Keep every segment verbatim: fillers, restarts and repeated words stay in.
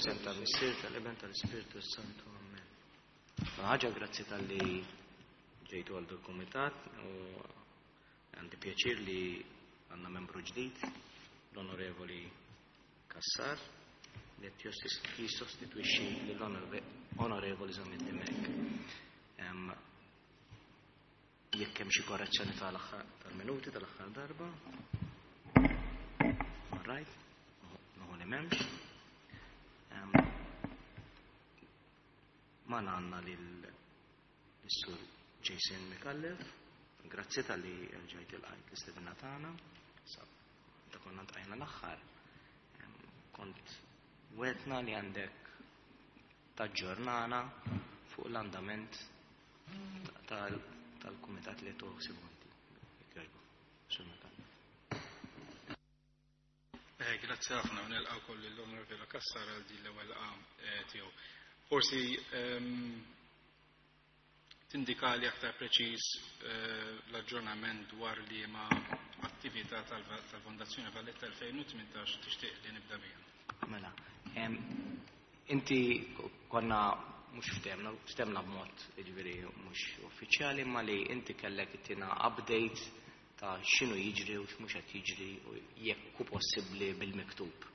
F'isem tal-Missier, tal-Iben, tal-Ispirtu Santu. Amen. Ħaġa, grazzi talli ġejtu għal kumitat u għandi pjaċir li għandna membru ġdid, l-Onorevoli Cassar, li qed jissostitwixxi lill-Onorevoli Zammit Dimech. Jekk hemm xi korrezzjoni tal-aħħar tal-minuti tal-aħħar darba. All right, nieħu li m'hemmx. Magħna għandna lil-Sur Jason Micallef, grazzi talli rġajt ilqajt l-istedina tagħna. Sa ta' konna ltqajna l-aħħar. Kont wegħedtna li għandek taġġornana fuq l-andament tal-kumitat li tuħsibu inti. Sur Micallef. Eh, grazzi ħafna, nilqa' wkoll l-Onorevoli Cassar għal din l-ewwel laqgħa tiegħu. Forsi ehm, tindikali aktar preċiż eh, l-aġġornament dwar li ma attività tal-Fondazzjoni Valletta elfejn u tmintax tixtieq li nibda biha. Mela, inti konna mhux ftehemna, ftehemna b'mod, jiġifieri, mhux uffiċjali, ma li inti kellek ittina update ta' x'inhu jiġri u x'mhux qed jiġri u jekk hu possibbli bil-miktub.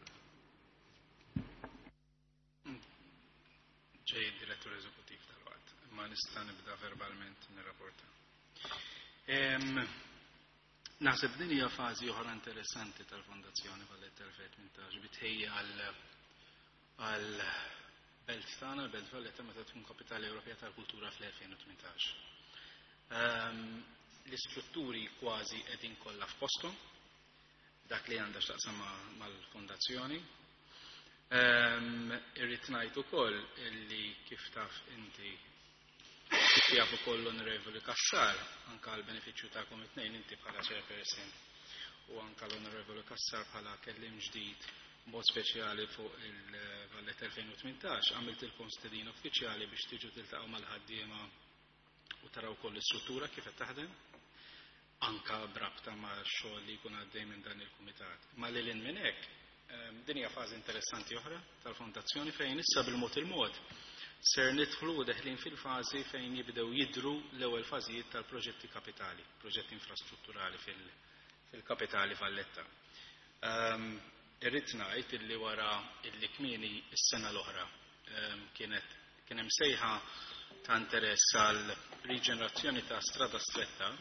Ġej id-direttur eżekutiv tal-waqt, imma nista' nibda verbalment nirrapporta. Naħseb din hija fażi oħra interessanti tal-Fondazzjoni Valletta elfejn u tmintax bi tħejjija għal belt tagħna, l-Belt Valletta, meta tkun Kapitali Ewropea tal-Kultura fl-elfejn u tmintax. L-istrutturi kważi qegħdin kollha f'posthom, dak li għandha x'taqsam mal-fondazzjoni. Irrid ngħid ukoll illi kif taf inti, kif jaf ukoll l-Onorevoli Cassar, anka għal benefiċċju tagħkom it-tnejn, inti bħala chairperson u anka l-Onorevoli Cassar bħala kellim ġdid mod speċjali fuq il-Valletta elfejn u tmintax, għamiltilkom stedina uffiċjali biex tiġu tiltaqgħu mal-ħaddiema u taraw koll l-istruttura kif qed taħdem, anka b'rabta ma' xogħol li jkun għaddej minn dan il-kumitat. Ma lil minn hekk, din hija fażi interessanti oħra tal-fondazzjoni fejn issa bil-mod il-mod ser nidħlu deħlin fil-fażi fejn jibdew jidru l-ewwel fażijiet tal-proġetti kapitali, proġetti infrastrutturali fil-kapitali Valletta. Irrid ngħid illi wara illi kmieni s-sena l-oħra kienet kien hemm sejħa ta' interess għal riġenerazzjoni ta' Strada Stretta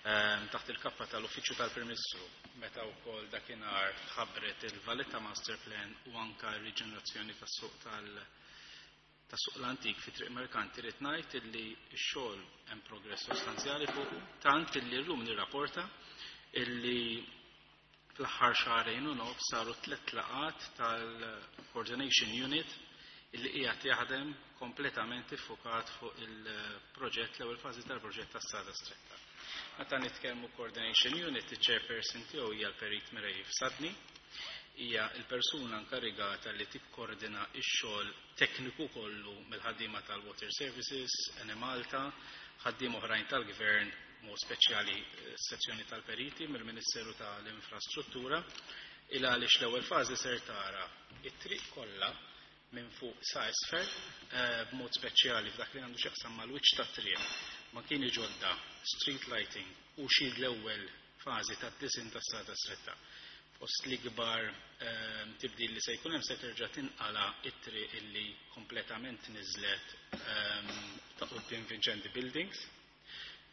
taħt il-kappa tal-Uffiċċju tal-Prim Ministru, meta wkoll dakinhar tħabbret il-Valletta Master Plan u anka r-riġenerazzjoni tas-suq tal- tas-suq l-antik fi Triq Merkanti, rrid ngħid illi x-xogħol hemm progress sostanzjali fuq, tant illi llum nirrapporta illi fl-aħħar xahrejn u nofs saru tliet laqat tal-Coordination Unit illi qiegħed jaħdem kompletament iffukat fuq il-proġett, l-ewwel fażi tal-proġett tas-Strada Stretta. Meta nitkellmu Coordination Unit, il-chairperson tiegħu hija l-Perit Mireille Fsadni, hija l-persuna inkarigata li tikkoordina x-xogħol tekniku kollu mill-ħaddiema tal-Water Services, Enemalta, ħaddiem oħrajn tal-Gvern, mod speċjali eh, sezzjoni tal-periti mill-Ministeru tal-Infrastruttura, il għaliex l-ewwel fażi ser tara it-triq kollha minn fuq sa isfel, eh, b'mod speċjali f'dak li għandu x'jaqsam mal-wiċċ tat-triq, makini ġodda, street lighting u xi l-ewwel fażi tad-disinn tas-Strada Stretta. Fost l-ikbar ehm, tibdil li se jkun hemm, se terġa' tinqala it-triq illi kompletament niżlet ehm, ta' quddiem Vincenti Buildings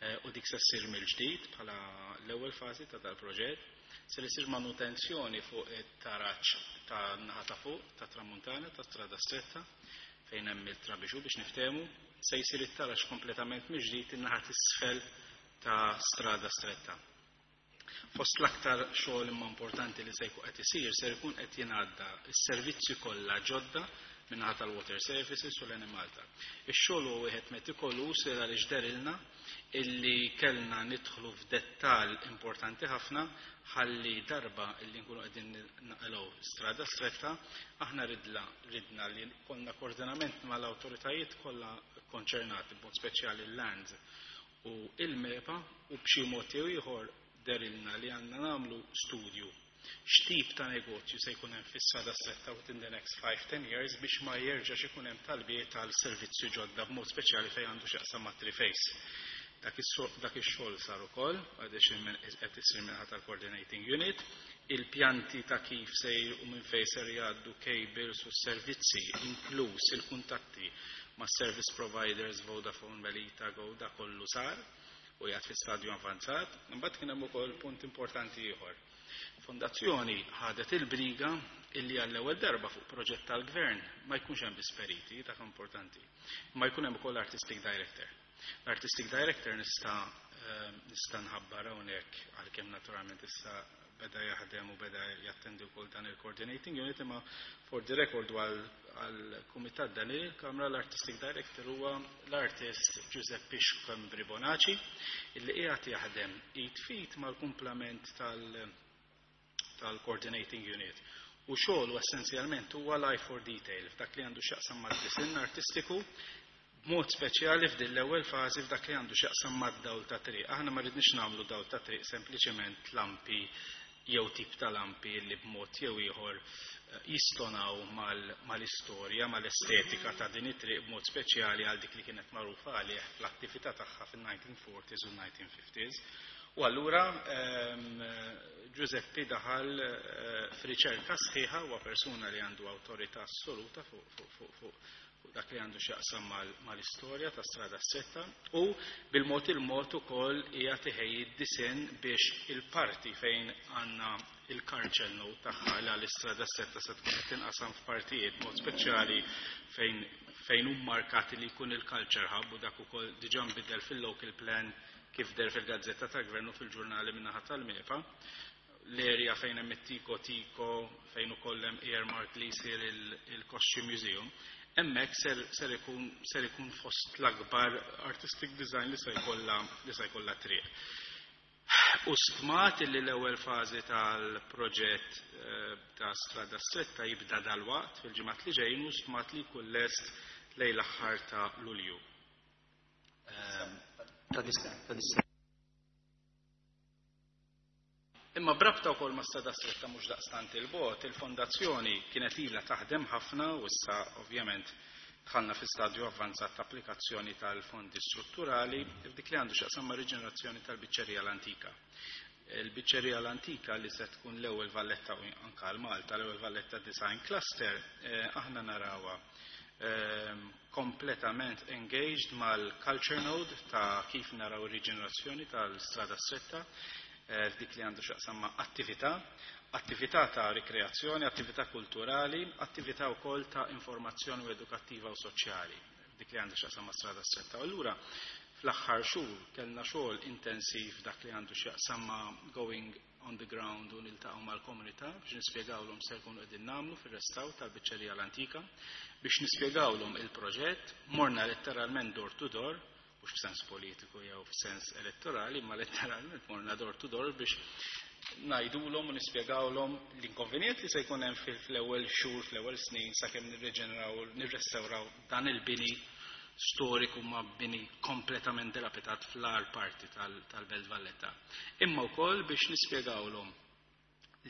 eh, u dik se ssir mill-ġdid bħala l-ewwel fażi ta' dal-proġett. Se isir manutenzjoni fuq it-taraġ ta' naħa ta' fuq ta' tramuntana ta' Strada Stretta fejn hemm il-trabixu biex niftehmu, se jsir it-taraġ kompletament mill-ġdid in-naħa t'isfel ta' Strada Stretta. Fost l-aktar xogħol imma importanti li se jkun qed isir, se jkun qed jingħadda s-servizzi kollha ġodda min-naħa tal-Water Services u l-Enemalta. Ix-xogħol huwa wieħed metikoluż għaliex dehrilna illi kellna nidħlu f'dettall importanti ħafna ħalli darba illi nkunu qegħdin naqilgħu Strada Stretta, aħna ridla ridna li konna koordinament mal-awtoritajiet kollha konċernati, b'mod speċjali l-Lands u il-MEPA, u b'xi mod jew ieħor dehrilna li għandna nagħmlu studju. X'tip ta' negozju se jkun hemm fis-Strada Stretta within the next five to ten years biex ma jerġax ikun hemm talbiet tal servizzi ġodda, b'mod speċjali fejn għandu x'jaqsam ma' Triface. Dak ix-xogħol sar ukoll, għadix qed isir minħata tal-Coordinating Unit, il-pjanti ta' kif sejr u minn fejn ser jgħaddu cables u servizzi, inkluż il-kuntatti ma' service providers Vodafone, Melita, Go, da kollu sar u jgħad fi stadju avanzat. Imbagħad kien hemm ukoll punt importanti ieħor. Fondazzjoni ħadet il-briga illi għall-ewwel darba fuq proġett tal-gvern ma jkunx hemm biss periti, dak importanti, ma jkun hemm ukoll artistic director. L-artistic director nista' nista' nħabbar hawnhekk, għalkemm naturalment issa beda jaħdem u beda jattendi wkoll dan il-coordinating unit, imma for the record għal-kumitat dan il-Kamra, l-artistic director huwa l-artist Giuseppe Schembri Bonaci, illi qiegħed jaħdem id f'id mal-kumplament tal-coordinating unit. U xogħol essenzjalment huwa l-eye for detail f'dak li għandu x'jaqsam mad-disinn artistiku, b'mod speċjali f'din l-ewwel fażi f'dak li għandu x'jaqsam mad-dawl ta' triq. Aħna ma rridniex nagħmlu dawl ta' triq sempliċement lampi jew tip ta' lampi li b'mod jew ieħor jistonaw mal-istorja, mal-estetika ta' din it-triq, b'mod speċjali għal dik li kienet magħrufa għalih fl-attività tagħha fin-nineteen forties u nineteen fifties. U allura Giuseppe daħal f'riċerka sħiħa, huwa persuna li għandu awtorità assoluta fuq fuq dak li għandu x'jaqsam mal-istorja ta' Strada Stretta, u bil-mod il-mod ukoll hija tiħejji d-disinn biex il-parti fejn għandna il-culture node tagħha li għall-Istrada Stretta se tkun qed tinqasam f'partijiet, mod speċjali fejn fejn hu markati li jkun il-culture hub, u dak ukoll diġà nbidel fil-local plan kif deher fil-gazzetta ta' gvern u fil-ġurnali min-naħa tal-MEPA, l-area fejn hemm it-Tico Tico, fejn ukoll hemm earmark li jsir il-Costume Museum, hemmhekk ser, ser ikun ser ikun fost l-akbar artistic design li se jkollha li se jkollha triq. U stmat li l-ewwel fażi tal-proġett eh, ta' Strada Stretta jibda dalwaqt, fil-ġimgħat li ġejjin, u stmat li jkun lest lejn l-aħħar ta' Lulju. Ehm, Ta' dis- Imma b'rabta wkoll ma' Strada Stretta, mhux daqstant il-bogħod, il-fondazzjoni kienet ilha taħdem ħafna u issa ovvjament dħalna fi stadju avvanzat ta' applikazzjoni tal-fondi strutturali f'dik li għandu x'jaqsam ma' riġenerazzjoni tal-biċċerija l-antika. Il-biċċerija l-antika li se tkun l-ewwel Valletta u anka l-Malta, l-ewwel Valletta Design Cluster, eh, aħna narawha eh, kompletament engaged mal-culture node ta' kif naraw ir-riġenerazzjoni tal-Strada Stretta eh, f'dik li għandu x'jaqsam ma' attività, attività ta' rikreazzjoni, attività kulturali, attività wkoll ta' informazzjoni u edukattiva u soċjali, dik li għandu x'jaqsam ma' Strada Stretta. U allura fl-aħħar xhur kellna xogħol intensiv dak li għandu x'jaqsam ma' going on the ground u niltaqgħu mal-komunità biex nispjegawlhom se jkunu qegħdin nagħmlu fir-restawr tal-biċċerija l-antika, biex nispjegawlhom il-proġett, morna letteralment door to door, mhux f'sens politiku jew f'sens elettorali, ma letteralment morna door to door biex ngħidulhom u nispjegawlhom l-inkonvenjent li se jkun hemm fl-ewwel xhur, fl-ewwel snin sakemm nirreġeneraw, nirrestawraw dan il-bini storiku, ma bini kompletament dilapidat fl-agħar parti tal-Belt Valletta. Imma wkoll biex nispjegawlhom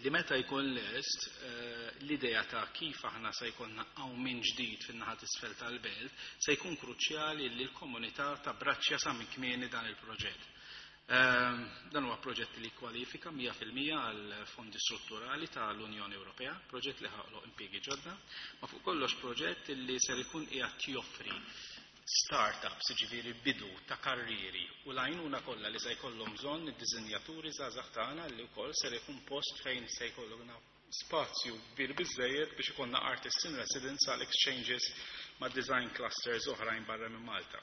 li meta jkun lest, eh, l-idea ta' kif aħna se jkollna minn ġdid fin-naħa t'isfel tal-belt se jkun kruċjali li l-komunità tabbraċċja sa minn kmieni dan il-proġett. Ehm, dan huwa proġett li kwalifika mija fil-mija għal fondi strutturali tal-Unjoni Ewropea, proġett li ħaloq impjiegi ġodda, ma fuq kollox proġett li ser ikun qiegħed joffri startups, ġifieri bidu ta' karrieri u l-għajnuna kollha li se jkollhom bżonn id-diżinjaturi żgħażagħ tagħna, li wkoll ser ikun post fejn se jkollna spazju kbir biżejjed biex ikollna artists in residence għal exchanges ma' design clusters oħrajn barra minn Malta.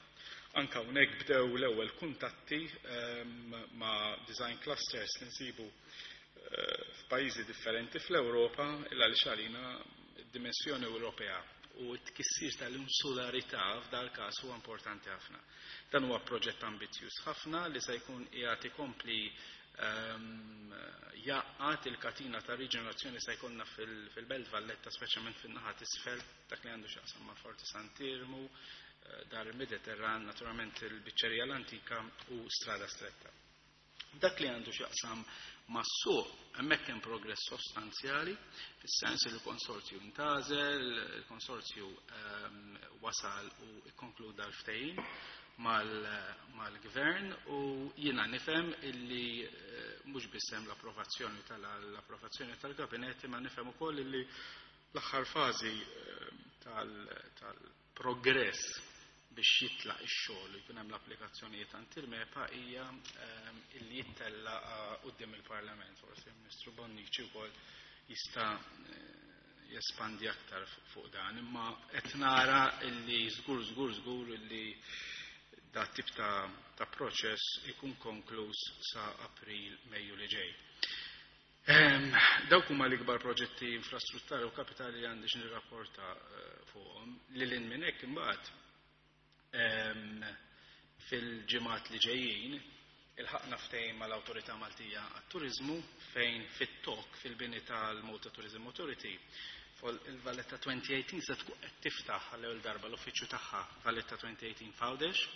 Anka hawnhekk bdew l-ewwel kuntatti um, ma' design clusters li nsibu uh, f'pajjiżi differenti fl-Ewropa, illa li xalina dimensjoni Ewropea u t-tkissir tal-insularità f'dal każ huwa importanti ħafna. Dan huwa proġett ambizzjuż ħafna li se jkun qiegħed ikompli um, jgħaqqad il-katina ta' riġenerazzjoni se jkollna fil-Belt Valletta, speċjalment fin-naħa t'isfel, dak li għandu x'jaqsam ma' Forti Sant'Iermu, eh, Dar il-Mediterran, naturalment il-Biċċerija l-Antika u Strada Stretta. Dak li għandu x'jaqsam mas-suq, hemmhekk hemm progress sostanzjali, fis-sens li l-konsorzju intgħażel, il-konsorzju ehm, wasal u ikkonkluda l-ftehim mal-gvern u jiena nifhem illi eh, mhux biss hemm l-approvazzjoni tal-approvazzjoni tal-gabinett, imma nifhem ukoll illi l-aħħar fażi ehm, tal-progress biex jitlaq ix-xogħol u jkun hemm l-applikazzjonijiet għand il-MEPA hija ehm, illi jittella quddiem il-Parlament. Forsi il-Ministru Bonnici wkoll jista' eh, jespandi aktar fuq dan, imma qed nara illi żgur żgur żgur illi da tip ta', ta' proċess ikun konkluż sa' April, Mejju li ġej. Ehm, dawk huma l-ikbar proġetti infrastrutturali u kapitali li għandi x'nirrapporta eh, fuqhom. Lil hinn minn hekk, imbagħad fil-ġimgħat li ġejjin ilħaqna ftehim mal-Awtorità Maltija għat-Turiżmu fejn fit-tok fil-bini tal-Malta Tourism Authority il-Valletta elfejn u tmintax se tkun qed tiftaħ għall-ewwel darba l-uffiċċju tagħha Valletta elfejn u tmintax f'Għawdex.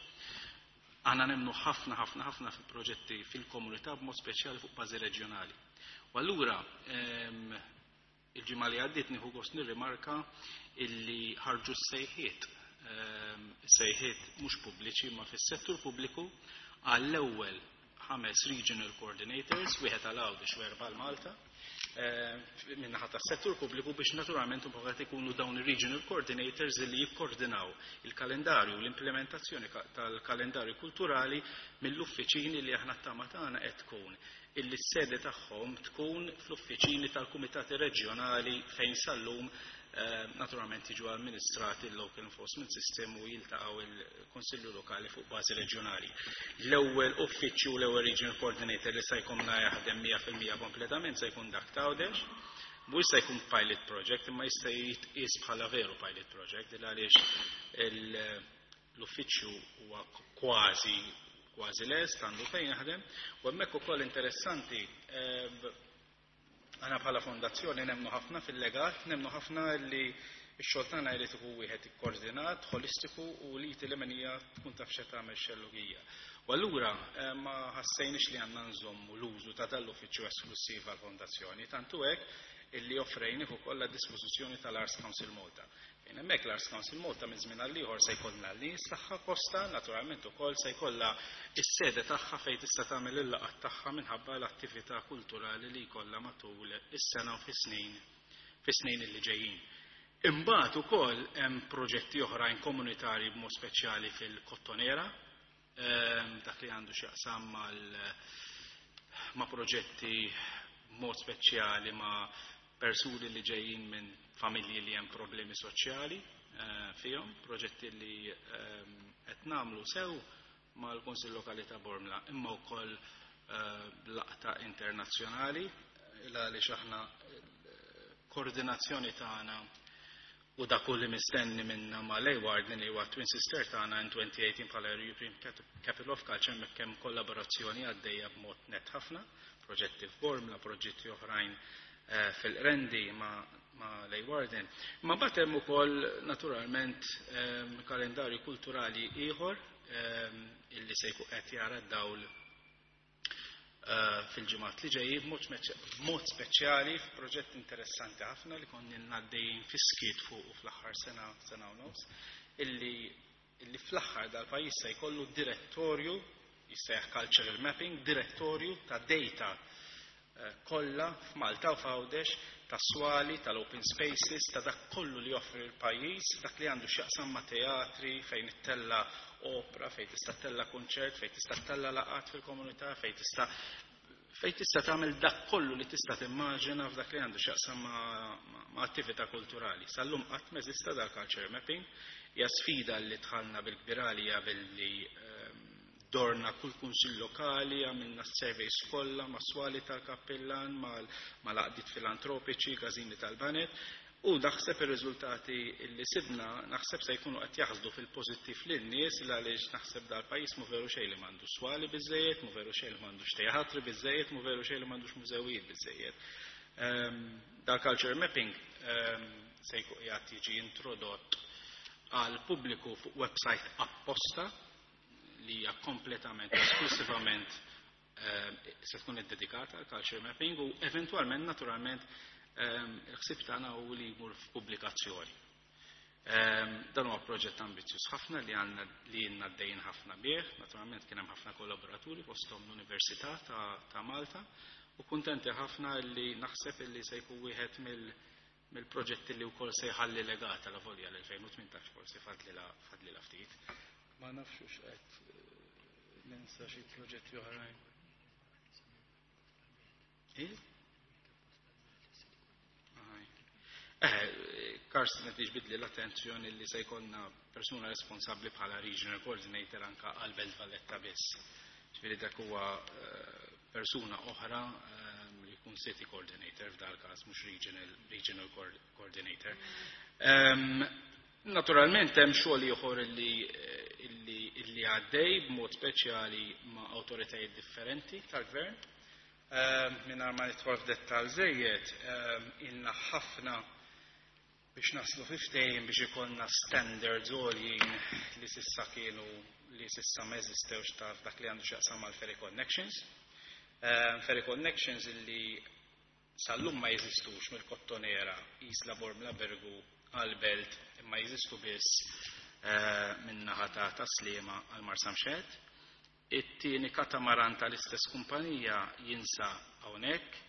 Aħna nemmnu ħafna ħafna ħafna fil-proġetti fil-komunità, b'mod speċjali fuq bażi reġjonali. U allura il-ġimgħa li għaddiet nieħu gost nirrimarka illi ħarġu s-sejħiet, sejħiet mhux pubbliċi ma fis-settur pubbliku, għall-ewwel ħames regional coordinators, wieħed għal Għawdex u erba' Malta, min-naħa tas-settur pubbliku, biex naturalment mbagħad ikunu dawn ir-regional coordinators li jikkoordinaw il-kalendarju, l-implementazzjoni tal-kalendarju kulturali mill-uffiċini li aħna t-tama tagħna qed tkun illi s-sede tagħhom tkun fl-uffiċini tal-kumitati reġjonali fejn sal-lum eh, naturalment jiġu amministrati l-Local Enforcement System u jiltaqgħu il-Konsilju Lokali fuq bażi reġjonali. L-ewwel uffiċċju, l-ewwel regional coordinator li se jkollna jaħdem mija fil-mija kompletament se jkun dak t'Għawdex. Mhux se jkun pilot project, imma jista' jitqies bħala veru pilot project, għaliex l-uffiċċju huwa kważi kważi lest, għandu fejn jaħdem, u hemmhekk ukoll interessanti, eh, aħna bħala fondazzjoni nemmnu ħafna fil-legat, nemmnu ħafna li x-xogħol tagħna jrid ikun wieħed ikkoordinat, holistiku u li l-leminija tkun taf x'qed tagħmel xellugija. U allura eh, ma ħassejniex li għandna nżommu l-użu ta' dal-uffiċċju esklusiv għall-fondazzjoni, tantu hekk illi offrejnih ukoll għad-dispożizzjoni tal-Arts Council Malta. Fejn hemmhekk l-Arts Council Malta minn żmien għal ieħor se jkollna l-nies tagħha posta, naturalment ukoll se jkollha is-sede tagħha fejn tista' tagħmel il-laqgħat tagħha minħabba l-attività kulturali li jkollha matul is-sena u fis-snin fis-snin li ġejjin. Imbagħad ukoll hemm proġetti oħrajn komunitarji, b'mod speċjali fil-Kottonera, ehm, dak li għandu x'jaqsam mal ma' proġetti b'mod speċjali ma' persuni li ġejjin minn familji li hemm problemi soċjali eh, fihom, proġetti li ehm, qed nagħmlu sew mal-Kunsill Lokali ta' Bormla, imma wkoll eh, laqta internazzjonali, għaliex aħna koordinazzjoni tagħna u dak li mistenni minna ma' Leeuwarden, li huwa Twin Sister tagħna in twenty eighteen bħala European Capital of Culture, hemmhekk hemm kollaborazzjoni għaddejja b'mod net ħafna, proġetti f'Bormla, proġetti oħrajn eh, fil-Qrendi ma' ma' Leeuwarden. Ma mbagħad hemm ukoll naturalment ehm, kalendarju kulturali ieħor ehm, illi se jkun qed jara d-dawl eh, fil-ġimgħat li ġejjin, b'mod speċjali f'proġett interessanti ħafna li konna għaddejjin fiskiet fuq fl-aħħar sena, sena u nofs, illi illi fl-aħħar dal-pajjiż se jkollu direttorju jissejjaħ cultural mapping, direttorju ta' data eh, kollha f'Malta u f'Għawdex ta' swali, tal-open spaces, ta' dak kollu li joffri l-pajjiż, dak li għandu x'jaqsam ma' teatri, fejn ittella opera, fejn tista' ttella konċert, fejn tista' ttella laqat fil-komunità, fejn tista' fejn tista' tagħmel dak kollu li tista' timmaġina f'dak li għandu x'jaqsam ma', ma attività kulturali. Sal-lum qatt m'eżista dal-culture mapping, hija sfida li dħalna bil-kbirali billi ehm, dorna kull kunsill lokali, għamilna surveys kollha ma' swali tal-kappillan, mal-għaqdiet filantropiċi, każini tal-baned, u naħseb ir-riżultati li sibna naħseb se jkunu qed jaħsdu fil-pożittiv lin-nies, għaliex naħseb dal-pajjiż mu veru xejn li m'għandux swali biżejjed, mu veru xejn li m'għandux teatri biżejjed, mu veru xejn li m'għandux mużewijiet biżejjed. Ehm, dal-culture mapping ehm, se jkun qiegħed jiġi introdott għal pubbliku fuq website apposta li hija kompletament esklusivament se tkun iddedikata għal culture mapping u eventwalment naturalment il-ħsieb tagħna hu li jmur f'pubblikazzjoni. Dan huwa proġett ambizzjuż ħafna li għandna li ilna għaddejjin ħafna bih, naturalment kien hemm ħafna kollaboraturi fosthom l-Università ta' Malta u kuntenti ħafna li naħseb li se jkun wieħed mill-proġetti li wkoll se jħalli legata la volja l-elfejn u tmintax forsi fadlilha ftit. Ma nafx hux qed ninsa xi proġetti oħrajn. Eh, Karsten qed jiġbidli l-attenzjoni li se jkollna persuna responsabbli bħala regional coordinator anka għal Belt Valletta biss. Ġifieri dak huwa persuna oħra li jkun city coordinator f'dal każ mhux regional, regional coordinator. Naturalment hemm xogħol ieħor illi illi għaddej b'mod speċjali ma' awtoritajiet differenti tal-gvern. Mingħajr ma nidħol f'dettall żejjed, ilna ħafna biex naslu fi ftehim biex ikollna standards għoljin li sissa kienu li sissa ma eżistewx ta' dak li għandu x'jaqsam mal ferry connections. Ferry connections illi sal-lum ma jeżistux mill-Kottonera, Isla Bormla Birgu għal-Belt, imma jeżistu biss min-naħa ta' Taslima għal Marsamxett. It-tieni katamaran tal-istess kumpanija jinsa hawnhekk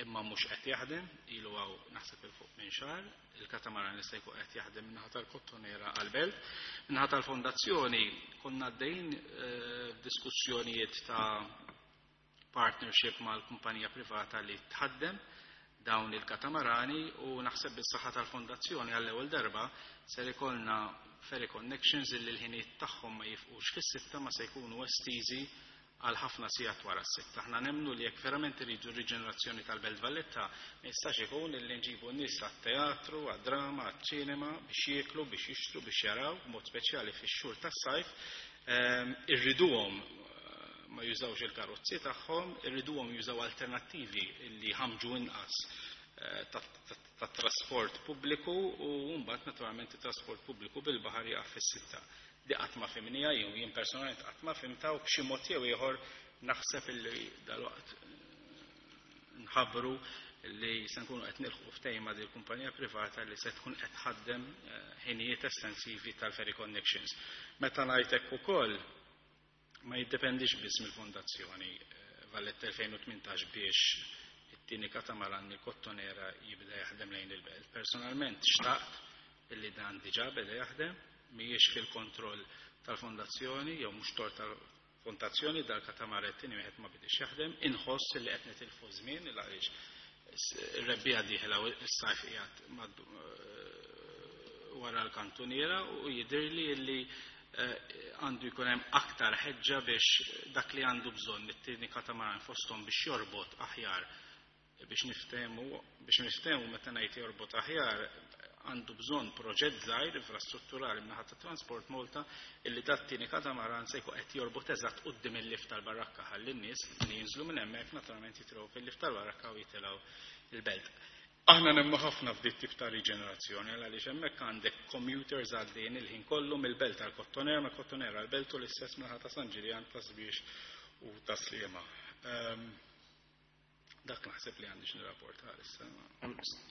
imma mhux qed jaħdem, ilu hawn naħseb il fuq minn xahar, il-katamaran li se jkun qed jaħdem min-naħa tal-Kottonera għall-Belt. Min-naħa tal-fondazzjoni konna għaddejjin diskussjonijiet ta' partnership mal-kumpanija privata li tħaddem dawn il-katamarani u naħseb bis-saħħa tal-fondazzjoni għall-ewwel darba ser ikollna ferry connections illi l-ħinijiet tagħhom ma jifqux fis-sitta ma se jkunu estiżi għal ħafna sigħat wara s-sitta. Aħna nemmnu li jekk verament iridu r-riġenerazzjoni tal-Belt Valletta ma jistax ikun illi nġibu n-nies għat-teatru, għad-drama, għaċ-ċinema biex jieklu, biex jixtru, biex jaraw, b'mod speċjali fix-xhur tas-sajf, irriduhom ma jużawx il-karozzi tagħhom, irriduhom jużaw alternattivi li ħamġu inqas ta' trasport pubbliku u mbagħad naturalment it-trasport pubbliku bil-baħar jaqaf fis-sitta. Di qatt ma fimnija jew jien personalment qatt ma fimta u b'xi mod jew ieħor naħseb illi dalwaqt nħabbru li se nkunu qed nilħqu ftehim ma' din kumpanija privata li se tkun qed tħaddem ħinijiet estensivi tal-ferry connections. Meta ngħid hekk ukoll ma jiddependix biss mill-Fondazzjoni Valletta elfejn u tmintax biex it-tieni katamaran il-Kottonera jibda jaħdem lejn il-belt. Personalment xtaqt illi dan diġà beda jaħdem, mhijiex fil-kontroll tal-fondazzjoni jew mhux tort tal-fondazzjoni dal-katamaran it-tieni wieħed ma bidix jaħdem, inħoss illi qed nitilfu żmien għaliex ir-rebbiegħa dieħla u s-sajf qiegħed wara l-kantuniera u jidhirli illi għandu jkun hemm aktar ħeġġa biex dak li għandu bżonn it-tieni katamaran fosthom biex jorbot aħjar biex niftehmu biex niftehmu meta ngħid jorbot aħjar għandu bżonn proġett żgħir infrastrutturali min-naħa ta' Transport Malta illi dat tieni katamaran se jkun qed jorbot eżatt quddiem il-lift tal-Barrakka ħalli n-nies li jinżlu minn hemmhekk naturalment jitilgħu fil-lift tal-Barrakka u jitilgħu il-belt. Aħna nemmnu ħafna f'dik tip ta' riġenerazzjoni għaliex hemmhekk għandek commuters għaddejjin il-ħin kollu mill-belt għall-Kottonera, mill-Kottonera għall-belt u l-istess minħa ta' San Ġiljan, ta' Sbiex u ta' Sliema. Dak naħseb li għandi x'nirrapporta issa.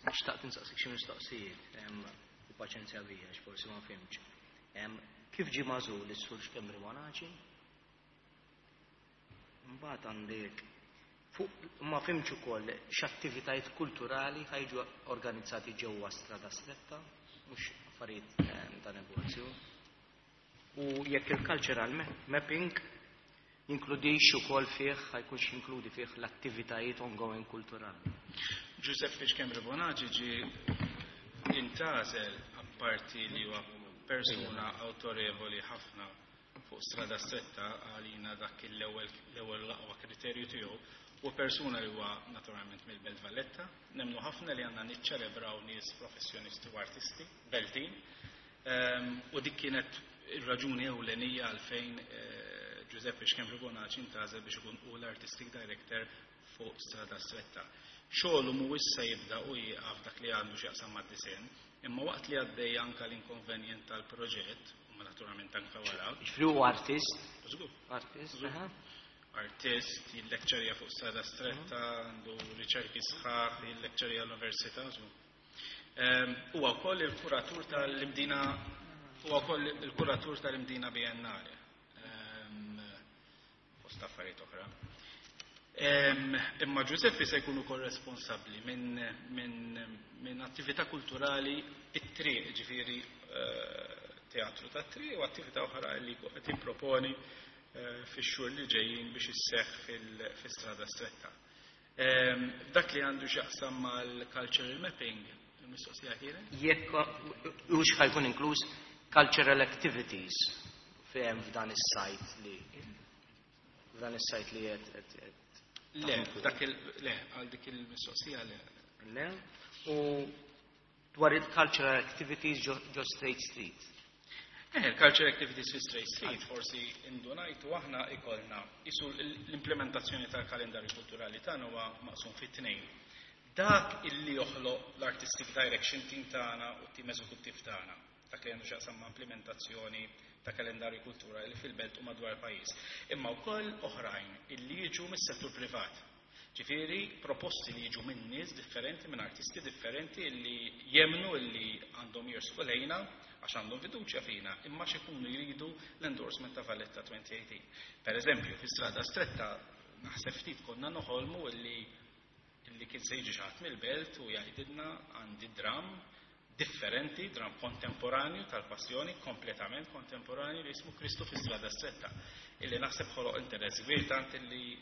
Xtaqt insaqsik xi mistoqsijiet, il-paċenzja bija għax forsi ma fhimtx. Kif ġie magħżul is-Sur Schembri Monaci? Mbagħad għandek fuq ma fhimtx ukoll x'attivitajiet kulturali ħajġu organizzati ġewwa Strada Stretta, mhux affarijiet ta' negozju. U jekk il-cultural mapping jinkludix ukoll fih, ħajkunx jinkludi fih l-attivitajiet ongoing kulturali. Giuseppe Schembri Bonaci ġie intgħażel apparti li huwa persuna autorevoli ħafna fuq Strada Stretta għalina dak l-ewwel l-aqwa kriterju tiegħu u persuna li huwa naturalment mill-Belt Valletta. Nemmnu ħafna li għandna niċċelebraw nies professjonisti u artisti beltin. U dik kienet ir-raġuni ewlenija għalfejn Giuseppe Schembri Bonaci intgħażel biex ikun hu l-artistic director fuq Strada Stretta. Xogħlu mhuwiex se jibda u jieqaf dak li għandu x'jaqsam mad-disinn, imma waqt li għaddej anke l-inkonvenjent tal-proġett, u naturalment anke wara. Ġifieri huwa artist? Żgur. Artist, aha. artist, jillekċerja fuq Strada Stretta, għandu riċerki sħaħ, jillekċerja l-Università. Huwa wkoll il-kuratur tal-Imdina huwa wkoll il-kuratur tal-Imdina Biennale. Fost affarijiet oħra. Imma Giuseppe se jkun ukoll responsabbli minn min, min attività kulturali it-triq, ġifieri teatru ta' triq u attività oħra li qed tipproponi fix-xhur li ġejjin biex isseħħ fil-Strada Stretta. Dak li għandu x'jaqsam mal-cultural mapping, il-mistoqsija kienet? Jekk hux ħa jkun inkluż cultural activities fejn f'dan is-site li f'dan is-site li qed Le, dak il le, għal dik il-mistoqsija le. Le. U dwar il-cultural activities ġo Straight Street. Eh, il-cultural activities fi Straight Street forsi indunajtu aħna ikollna isu l-implementazzjoni tal-kalendarju kulturali tagħna huwa maqsum fit tnejn. Dak illi joħloq l-artistic direction team tagħna u t-tim eżekuttiv tagħna, dak li għandu x'jaqsam ma' implementazzjoni ta' kalendarju kulturali fil-belt u madwar il-pajjiż. Imma wkoll oħrajn illi jiġu mis-settur privat. Ġifieri proposti li jiġu minn nies differenti, minn artisti differenti illi jemnu illi għandhom jersqu lejna għax għandhom fiduċja fina, imma x'ikunu jridu l-endorsement ta' Valletta twenty eighteen. Per eżempju, fi Strada Stretta naħseb ftit konna noħolmu illi illi kien se jiġi xi ħadd mill-belt u jgħidilna għandi dram differenti, dram kontemporanju tal-passjoni, kompletament kontemporanju li jismu Kristu fi Strada Stretta, illi naħseb ħoloq interess kbir tant illi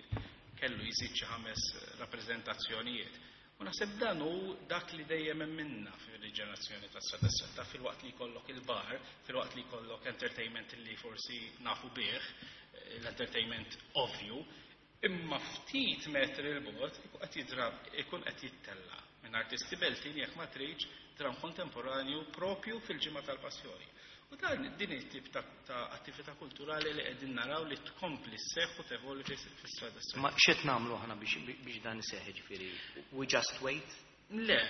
kellu jżid xi ħames rappreżentazzjonijiet. U naħseb dan hu dak li dejjem hemm minna fir-riġenerazzjoni ta' Strada Stretta, filwaqt li jkollok il-bar, filwaqt li jkollok entertainment li forsi nafu bih, l-entertainment ovvju, imma ftit metri l-bogħod ikun qed jidrab, ikun qed jittella minn artisti beltin jekk ma tridx dram kontemporanju propju fil-ġimgħa tal-passjoni. U dan din it-tip ta', ta attività kulturali li qegħdin naraw li tkompli sseħħ u tevolvi fis-Strada Stretta. Ma x'qed nagħmlu aħna biex biex dan iseħħ, ġifieri we just wait? Le,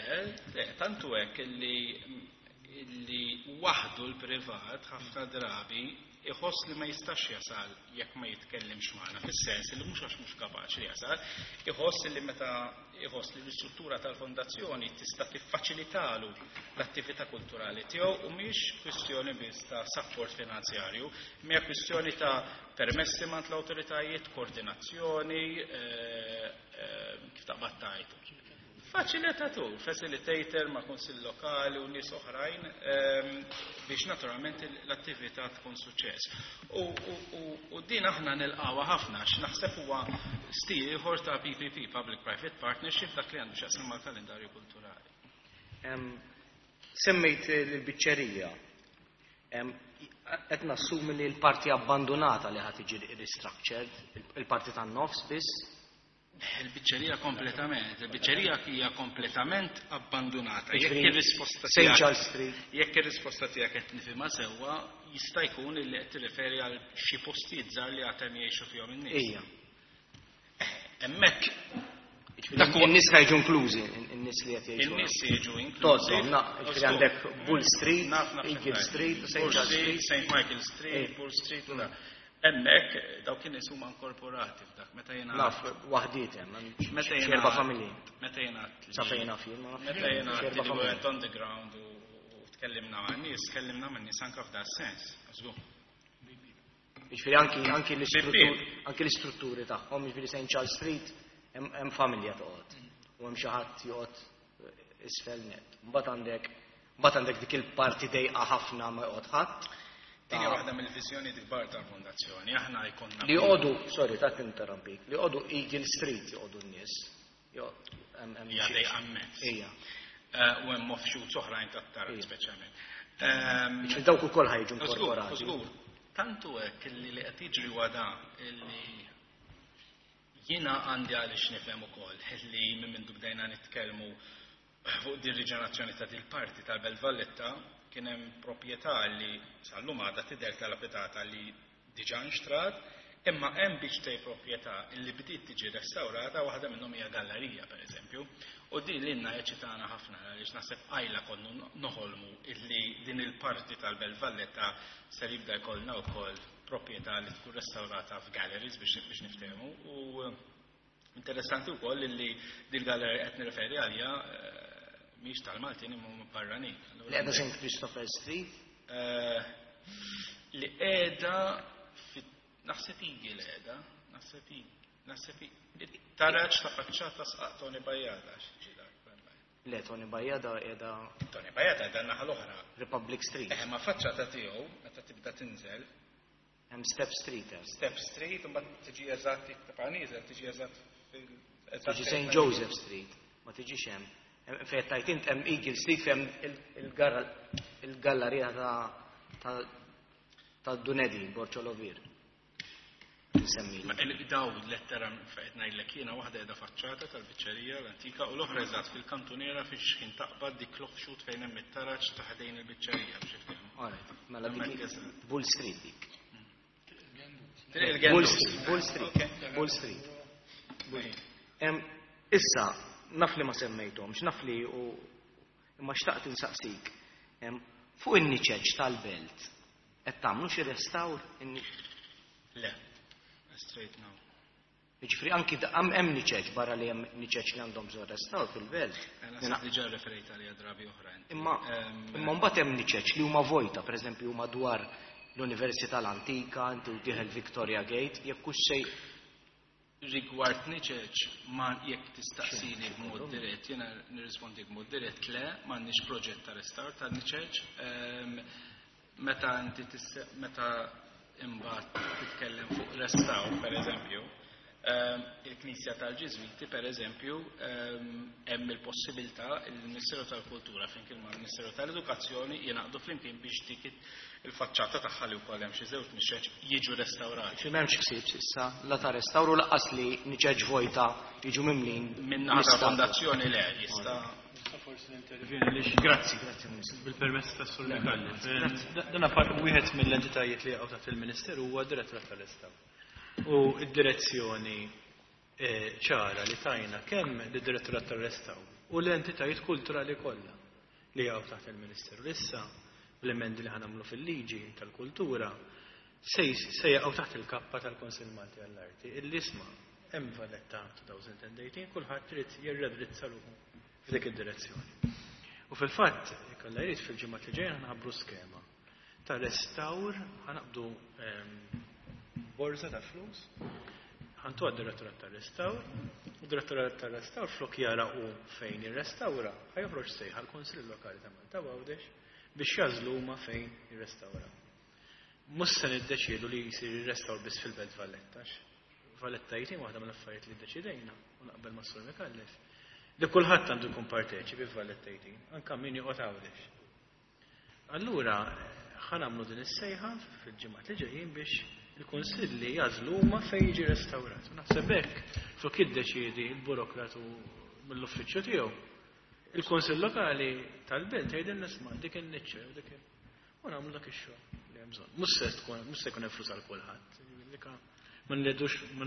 le, tantu hekk illi illi waħdu l-privat ħafna drabi iħoss li ma jistax jasal jekk ma jitkellimx magħna, fis-sens li mhux għax mhux kapaċi jasal, iħoss li meta iħoss li l-istruttura tal-fondazzjoni tista' tiffaċilitalu l-attività kulturali tiegħu u mhix kwistjoni biss ta' support finanzjarju, hija kwistjoni ta' permessi mant l-awtoritajiet, koordinazzjoni, eh, eh, kif taqbad tgħid. Faċilitatur, facilitator ma' kunsill lokali u nies oħrajn ehm, biex naturalment l-attività tkun suċċess. U, u, u, u din aħna nilqawha ħafna għax naħseb huwa stil ieħor ta' P P P, Public Private Partnership, dak li għandu x'jaqsam mal-kalendarju kulturali. Em, semmejt l-biċċerija. Em, qed nassumi li l-parti abbandonata li ħad tiġi restructured, il-parti tan-nofs biss. Il-biċċerija kompletament, il-biċċerija hija kompletament abbandonata. Jekk Ġifieri, ir-risposta Saint tiegħek Charles Street. Jekk ir-risposta tiegħek qed nifhimha sewwa, jista' jkun li qed tirreferi għal xi postijiet żgħar li għad hemm jgħixu fihom in-nies. Ija. Hemmhekk Ġifieri, dak huwa in-nies ħajġu inklużi, in-nies li qed jgħixu. In-nies jiġu inklużi. Totom, na, ġifieri għandek Bull Street, Naf, naf, Eagle naf. Street, Saint Bull Charles Street, Street. Saint Michael Street, Ej. Bull Street, u da. Hemmhekk dawk in-nies huma inkorporati f'dak meta jiena Naf, waħdiet hemm, hemm Meta xi jiena erba' familji. Meta jiena li Sa fejn naf jien, ma nafx. Meta jiena Xi erba' li familji. went on the ground u, u tkellimna ma' nies, tkellimna ma' nies anke f'da sens. Żgur. Jiġifieri anki, anki l-istruttur, Bib. anki l-istrutturi tagħhom, jiġifieri Saint Charles Street hemm, hemm familja toqgħod u hemm xi ħadd joqgħod isfel net. Mbagħad għandek, mbagħad għandek dik il-parti dejqa ħafna ma joqgħod ħadd. Din hija waħda mill-viżjoni kbar tal-fondazzjoni. Aħna jkollna Li joqogħdu, sorry, ta' tinterrompik, li joqogħdu Eagle Street joqogħdu n-nies. Jo, hemm, hemm Hija xi- dejqa immens. Ija. Eh, u hemm offshoots oħrajn tat-taraġ Ija. speċjalment. Ehm, Jiġifieri dawk ukoll ħajġu Żgur, inkorporati. żgur. Tantu hekk illi li qed jiġri huwa da illi jiena għandi għaliex nifhem ukoll illi minn mindu bdejna nitkellmu fuq din riġenerazzjoni ta' dil parti tal-Belt Valletta kien hemm proprjetà li sal-lum għadha tidher tal-abitata li diġà nxtrat, imma hemm biċċej proprjetà li bdiet tiġi restawrata, waħda minnhom hija gallerija pereżempju. U din lilna eċitana ħafna għaliex naħseb qajla konnu noħolmu illi din il-parti tal-Belt Valletta ser jibda jkollna wkoll proprjetà li tkun restawrata f'galleries biex niftehmu, u interessanti wkoll li dil-gallery qed nirreferi għalija mhix tal-Maltin imma barranin. Li qiegħda Saint Christopher Street? Li qiegħda naħseb Eagle qiegħda, naħseb naħseb taraġ ta' faċċata sqaq Tony Bajada. Le, Tony Bajada qiegħda. Tony Bajada qiegħda naħa l-oħra. Republic Street. Eh, ma faċċata tiegħu meta tibda tinżel. Hemm Step Street. Step Street, u mbagħad tiġi eżatt tibqa' nieżel, tiġi eżatt fil. Tiġi Saint Joseph Street, ma tiġix hemm. Fejn tajt int hemm Eagle Street fejn il-gallerija ta' ta' Dunedi, Borċolovir. Daw lettera fejn ngħidlek jiena waħda qiegħda faċċata tal-biċċerija l-antika u l-oħra eżatt fil-kantuniera fiex ħin taqbad dik l-offshoot fejn hemm it-taraġ ta' ħdejn il-biċċerija biex iftehmu. Alright, mela dik Bull Street dik. Triq Bull Street, Bull Street, Bull Street. Issa, naf li ma semmejthomx, naf li u imma xtaqt insaqsik. Fuq in-niċeċ tal-belt qed tagħmlu xi restawr? Le. Straight now. Jiġifieri anki hemm niċeċ barra li hemm niċeċ li għandhom bżonn restawr fil-belt. Naħseb diġà referejt għalija drabi oħra. Imma imma mbagħad hemm niċeċ li huma vojta, pereżempju huma dwar l-Università l-Antika, inti u dieħel Victoria Gate, jekk hux sej rigward niċeċ ma jekk tistaqsini b'mod dirett, jiena nirrispondi b'mod dirett le, m'għandniex proġett ta' restawr ta' niċeċ. Meta inti meta imbagħad titkellem fuq restawr, per eżempju, il-Knisja tal-Ġiżwiti, per eżempju, hemm il-possibilità il-Ministeru tal-Kultura flimkien mal-Ministeru tal-Edukazzjoni jingħaqdu flimkien biex dik il-faċċata tagħha li wkoll hemm xi żewġ niċeċ jiġu restawrati. Xi m'hemmx ħsieb s'issa la ta' restawru laqqas li niċeċ vojta jiġu mimlin. Min-naħa tal-fondazzjoni le jista' forsi nintervjeni għaliex. Grazzi, grazzi Ministru. Bil-permess tas Sur Micallef. Dan wieħed mill-entitajiet li jaqgħu taħt il-Ministeru huwa d-Direttorat tal-Restawr. U d-direzzjoni ċara li tajna kemm lid-Direttorat tal-Restawr u l-entitajiet kulturali kollha li jaqgħu taħt il-Ministeru. Issa bl-emendi li ħanamlu fil-liġi tal-kultura se jaqgħu taħt il-kappa tal-Kunsill Malti għall-Arti. Illi isma' hemm Valletta elfejn u tmintax kulħadd trid jirredrizza ruħu f'dik id-direzzjoni. U fil-fatt, kollha jrid fil-ġimgħat li ġejjin ħanħabbru skema ta' restawr, ħanaqbdu borza ta' flus, ħantu għad-direttorat tar-restawr, u d-direttorat tar-restawr flok jara u fejn jirrestawra, ħajoħroġ sejħa l-Kunsill Lokali ta' Malta Għawdex biex jażlu huma fejn jirrestawra. Mhux se niddeċiedu li jsir ir-restawr biss fil-Belt Valletta. Valletta jitim waħda mill-affarijiet li ddeċidejna u naqbel ma' Sur Micallef li kulħadd għandu jkun parteċipi f'Valletta eighteen, anke min joqgħod Għawdex. Allura ħa nagħmlu din is-sejħa fil-ġimgħat li ġejjin biex il-kunsilli jażlu huma fejn jiġi restawrat. U naħseb hekk flok jiddeċiedi l-burokratu mill-uffiċċju tiegħu. Il-Kunsill Lokali tal-Belt jgħidilna nisma' dik in-niċċa jew dik u nagħmlu dak ix-xogħol li hemm bżonn. Mhux se tkun mhux se jkun hemm flus għal kulħadd. Ma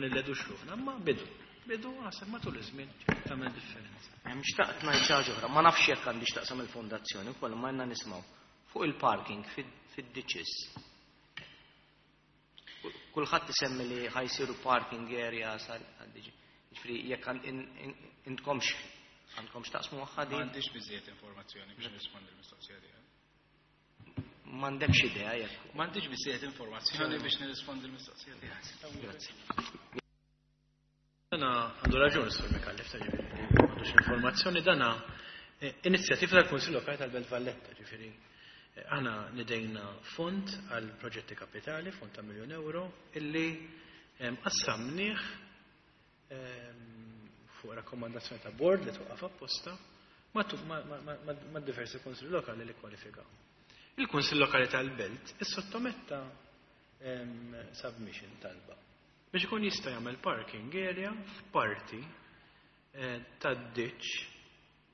nilledux ruħna, imma bidu. Bidu għasab matul iż-żmien tagħmel differenza. Hemm xtaqt ngħid xi ħaġa oħra, ma nafx jekk għandix taqsam il-fondazzjoni wkoll ma għandna nismgħu fuq il-parking fid-ditches. Kulħadd isemmi li ħajsiru parking areas għal-diġi. Jiġifieri jekk intkomx għandkomx taqsmu magħha din. M'għandix biżejjed informazzjoni biex nirrispondi l-mistoqsija tiegħek. M'għandekx idea jekk. M'għandix biżejjed informazzjoni biex nirrispondi l-mistoqsija tiegħek. Grazzi. Dana għandu raġun Sur Micallef ta' ġifieri m'għandux informazzjoni, dana inizjattiva tal-Kunsill Lokali tal-Belt Valletta, ġifieri aħna nidejna fond għal proġetti kapitali, fond ta' miljun euro, illi qassamnieh fuq rakkomandazzjoni ta' board li twaqqaf apposta ma' diversi kunsilli lokali li kwalifikaw. Il-Kunsill Lokali tal-Belt issottometta submission talba biex ikun jista' jagħmel parking area f'parti tad-ditch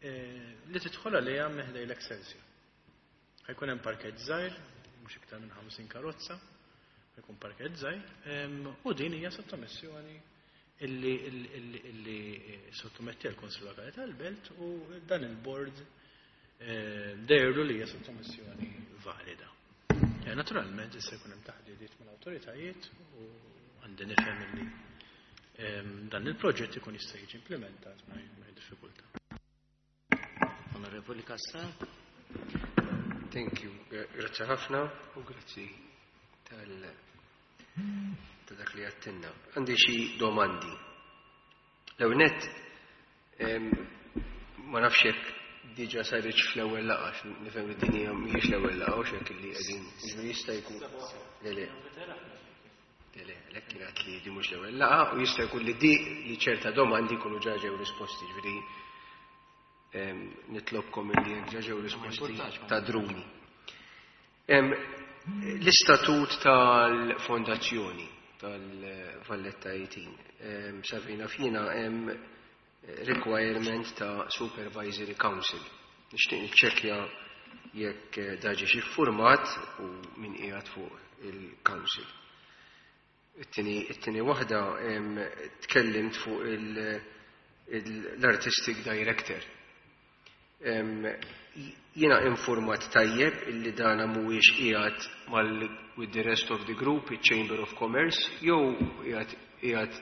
li tidħol għaliha minn ħdejn l-Excelsior. Ħajkun hemm parkeġġ żgħir, mhux iktar minn ħamsin karozza, ħajkun parkeġġ żgħir, u din hija sottomissjoni illi illi sottometti għall-Kunsill Lokali tal-Belt u dan il-board dejru li hija sottomissjoni valida. Naturalment issa jkun hemm taħdidiet mal-awtoritajiet u għandi nifhem li dan il-proġett ikun jista' jiġi implementat mingħajr diffikultà. Onorevoli Cassar. Thank you. Grazzi ħafna u grazzi tal ta' dak li għattinna. Għandi xi domandi. L-ewwel nett ma nafx jekk diġà saritx fl-ewwel laqgħa, nifhem li din hija mhijiex l-ewwel laqgħa u x'hekk li qegħdin jiġifieri jista' jkun. Le le. Le le, għalhekk kienet li di mhux l-ewwel laqgħa u jista' jkun li di li ċerta domandi jkunu ġa ġew risposti, jiġifieri nitlobkom illi jekk ġa ġew risposti ta' druni. L-istatut tal-fondazzjoni tal-Valletta eighteen, Savina fina hemm requirement ta' Supervisory Council. Nixtieq niċċekkja jekk daġi xi format u min qiegħed fuq il-Council. It-tieni waħda tkellimt fuq l-Artistic Director. Jiena informat tajjeb illi dana mhuwiex qiegħed mal with the rest of the group, il-Chamber of Commerce, jew qiegħed qiegħed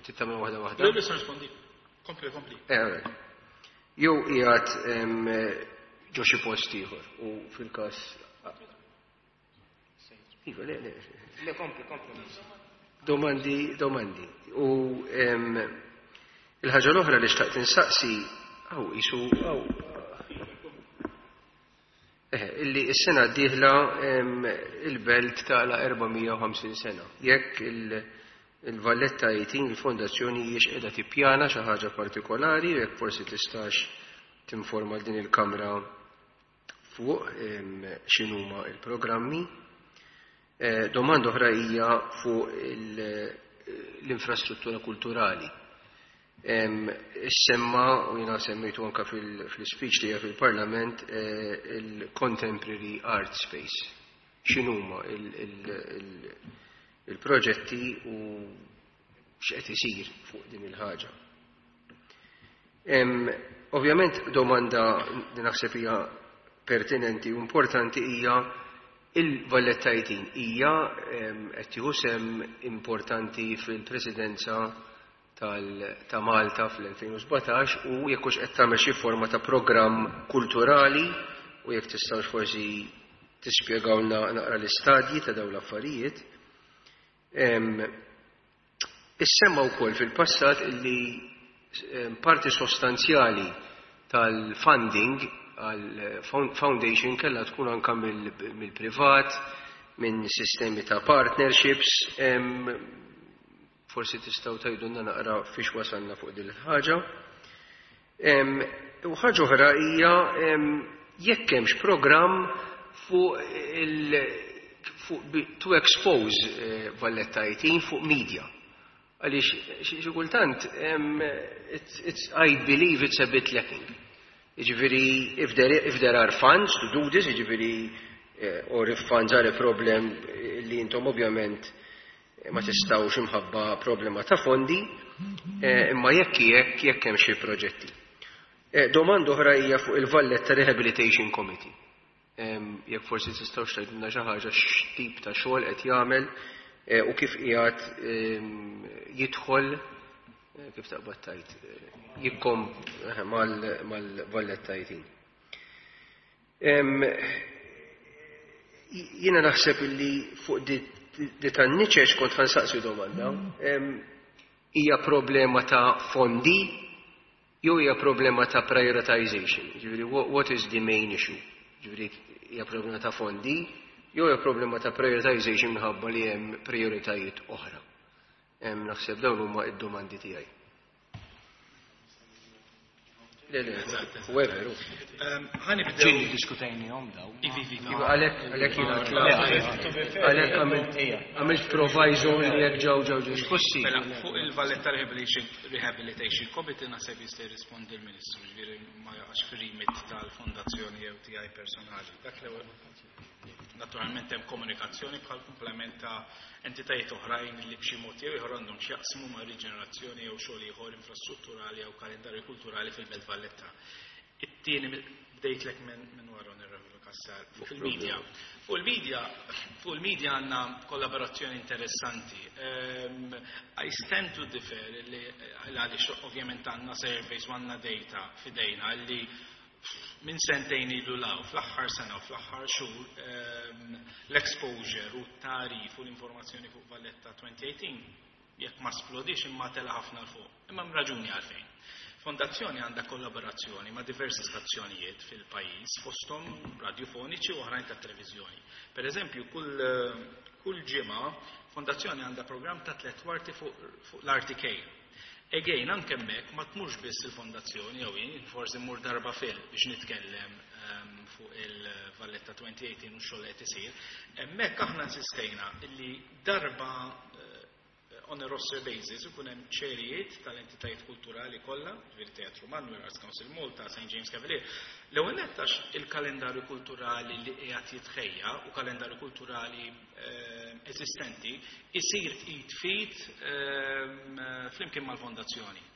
tittamel waħda waħda. Le, rispondi. Kompli, kompli. Jew qiegħed ġo xi post ieħor u fil-każ Iva, le, le. Le, kompli, kompli. Domandi, domandi. U il-ħaġa l-oħra li xtaqt insaqsi, għaw, isu, għaw, illi s-sena d-dieħla il-belt tala erba' mija u ħamsin sena. Jekk il-Valletta eighteen, il-fondazzjoni hijiex qiegħda tippjana xi ħaġa partikolari, jekk forsi tistax tinforma din il-Kamra fuq x'inhuma il-programmi. Domanda oħra hija fuq l-infrastruttura kulturali. Issemma, u jiena semmejtu anka fil-speech tiegħi fil-Parlament, il-Contemporary Art Space. X'inhuma il-proġetti u x'qed isir fuq din il-ħaġa. Ovvjament domanda li naħseb hija pertinenti u importanti hija il-Valletta eighteen hija qed tieħu sehem importanti fil-Presidenza ta' Malta fl-elfejn u sbatax u jekk hux qed tagħmel xi forma ta' programm kulturali u jekk tistgħux forsi tispjegawlna naqra l-istadji ta' dawn l-affarijiet. Issemma wkoll fil-passat illi parti sostanzjali tal-funding għal foundation kellha tkun anka mill-privat, minn sistemi ta' partnerships. Forsi tistgħu tgħidulna naqra fiex wasalna fuq din il-ħaġa. U ħaġa oħra hija jekk hemmx programm fuq il fuq to expose Valletta eighteen fuq media. Għaliex xi kultant it's, I believe it's a bit lacking. Jiġifieri if there, if there are funds to do this, jiġifieri or if funds are a problem li intom ovvjament ma tistgħux imħabba problema ta' fondi, imma jekk jekk jekk hemm xi proġetti. Domanda oħra hija fuq il-Valletta Rehabilitation Committee. Jekk forsi tistgħux tgħidulna xi ħaġa x'tip ta' xogħol qed jagħmel u kif qiegħed jidħol, kif taqbad tgħid, jikkom mal-Valletta eighteen. Jiena naħseb illi fuq di tan-niċeċ kont ħansaqsi domanda, hija problema ta' fondi jew hija problema ta' prioritization? Jiġifieri what is the main issue? Jiġifieri hija problema ta' fondi jew hija problema ta' prioritization minħabba li hemm prioritajiet oħra. Naħseb dawn huma id-domandi tiegħi. Le, le, whoever. Ħanibdew. Ġieli diskutejnihom dawn. Ivi, ivi. Iva, għalhekk, għalhekk jiena tlaqt. Għalhekk għamilt proviso li jekk ġew ġew diskussi. Mela, fuq il-Valletta Rehabilitation, Rehabilitation Committee naħseb jista' jirrispondi l-Ministru, ġifieri ma jaqax fir-remit tal-fondazzjoni jew tiegħi personali. Dak l-ewwel. Naturalment hemm komunikazzjoni bħal komplement ta' entitajiet oħrajn li b'xi mod jew ieħor għandhom x'jaqsmu ma' riġenerazzjoni jew xogħol ieħor infrastrutturali jew kalendarju kulturali fil-Belt Valletta. It-tieni bdejtlek minn wara Onorevoli Cassar. Fuq il-media. Fuq il-media, fuq il-media għandna kollaborazzjoni interessanti. Um, I stand to differ li għaliex ovvjament għandna surveys u għandna data f'idejna li minn sentejn ilu 'l hawn, fl-aħħar sena u fl-aħħar xhur um, l-exposure u t-tagħrif u l-informazzjoni fuq Valletta twenty eighteen jekk ma splodix imma tela ħafna 'l fuq. Imma raġuni għalfejn. Fondazzjoni għandha kollaborazzjoni ma' diversi stazzjonijiet fil-pajjiż, fosthom radiofoniċi u oħrajn ta' televiżjoni. Per eżempju, kull, kull ġimgħa fondazzjoni għandha programm ta' tliet kwarti fuq fu l-R T K. Again, anke hemmhekk ma tmurx biss il-fondazzjoni jew jien, forsi mmur darba fil biex nitkellem um, fuq il-Valletta twenty eighteen u xogħol qed isir. Hemmhekk aħna insistejna illi darba on a roster basis ikun hemm chairijiet tal-entitajiet kulturali kollha, ġifieri Teatru Manuel, Arts Council Malta, Saint James Cavalier. L-ewwel nett għax il-kalendarju kulturali li qiegħed jitħejja u kalendarju kulturali eh, eżistenti isir id f'id eh, flimkien mal-fondazzjoni.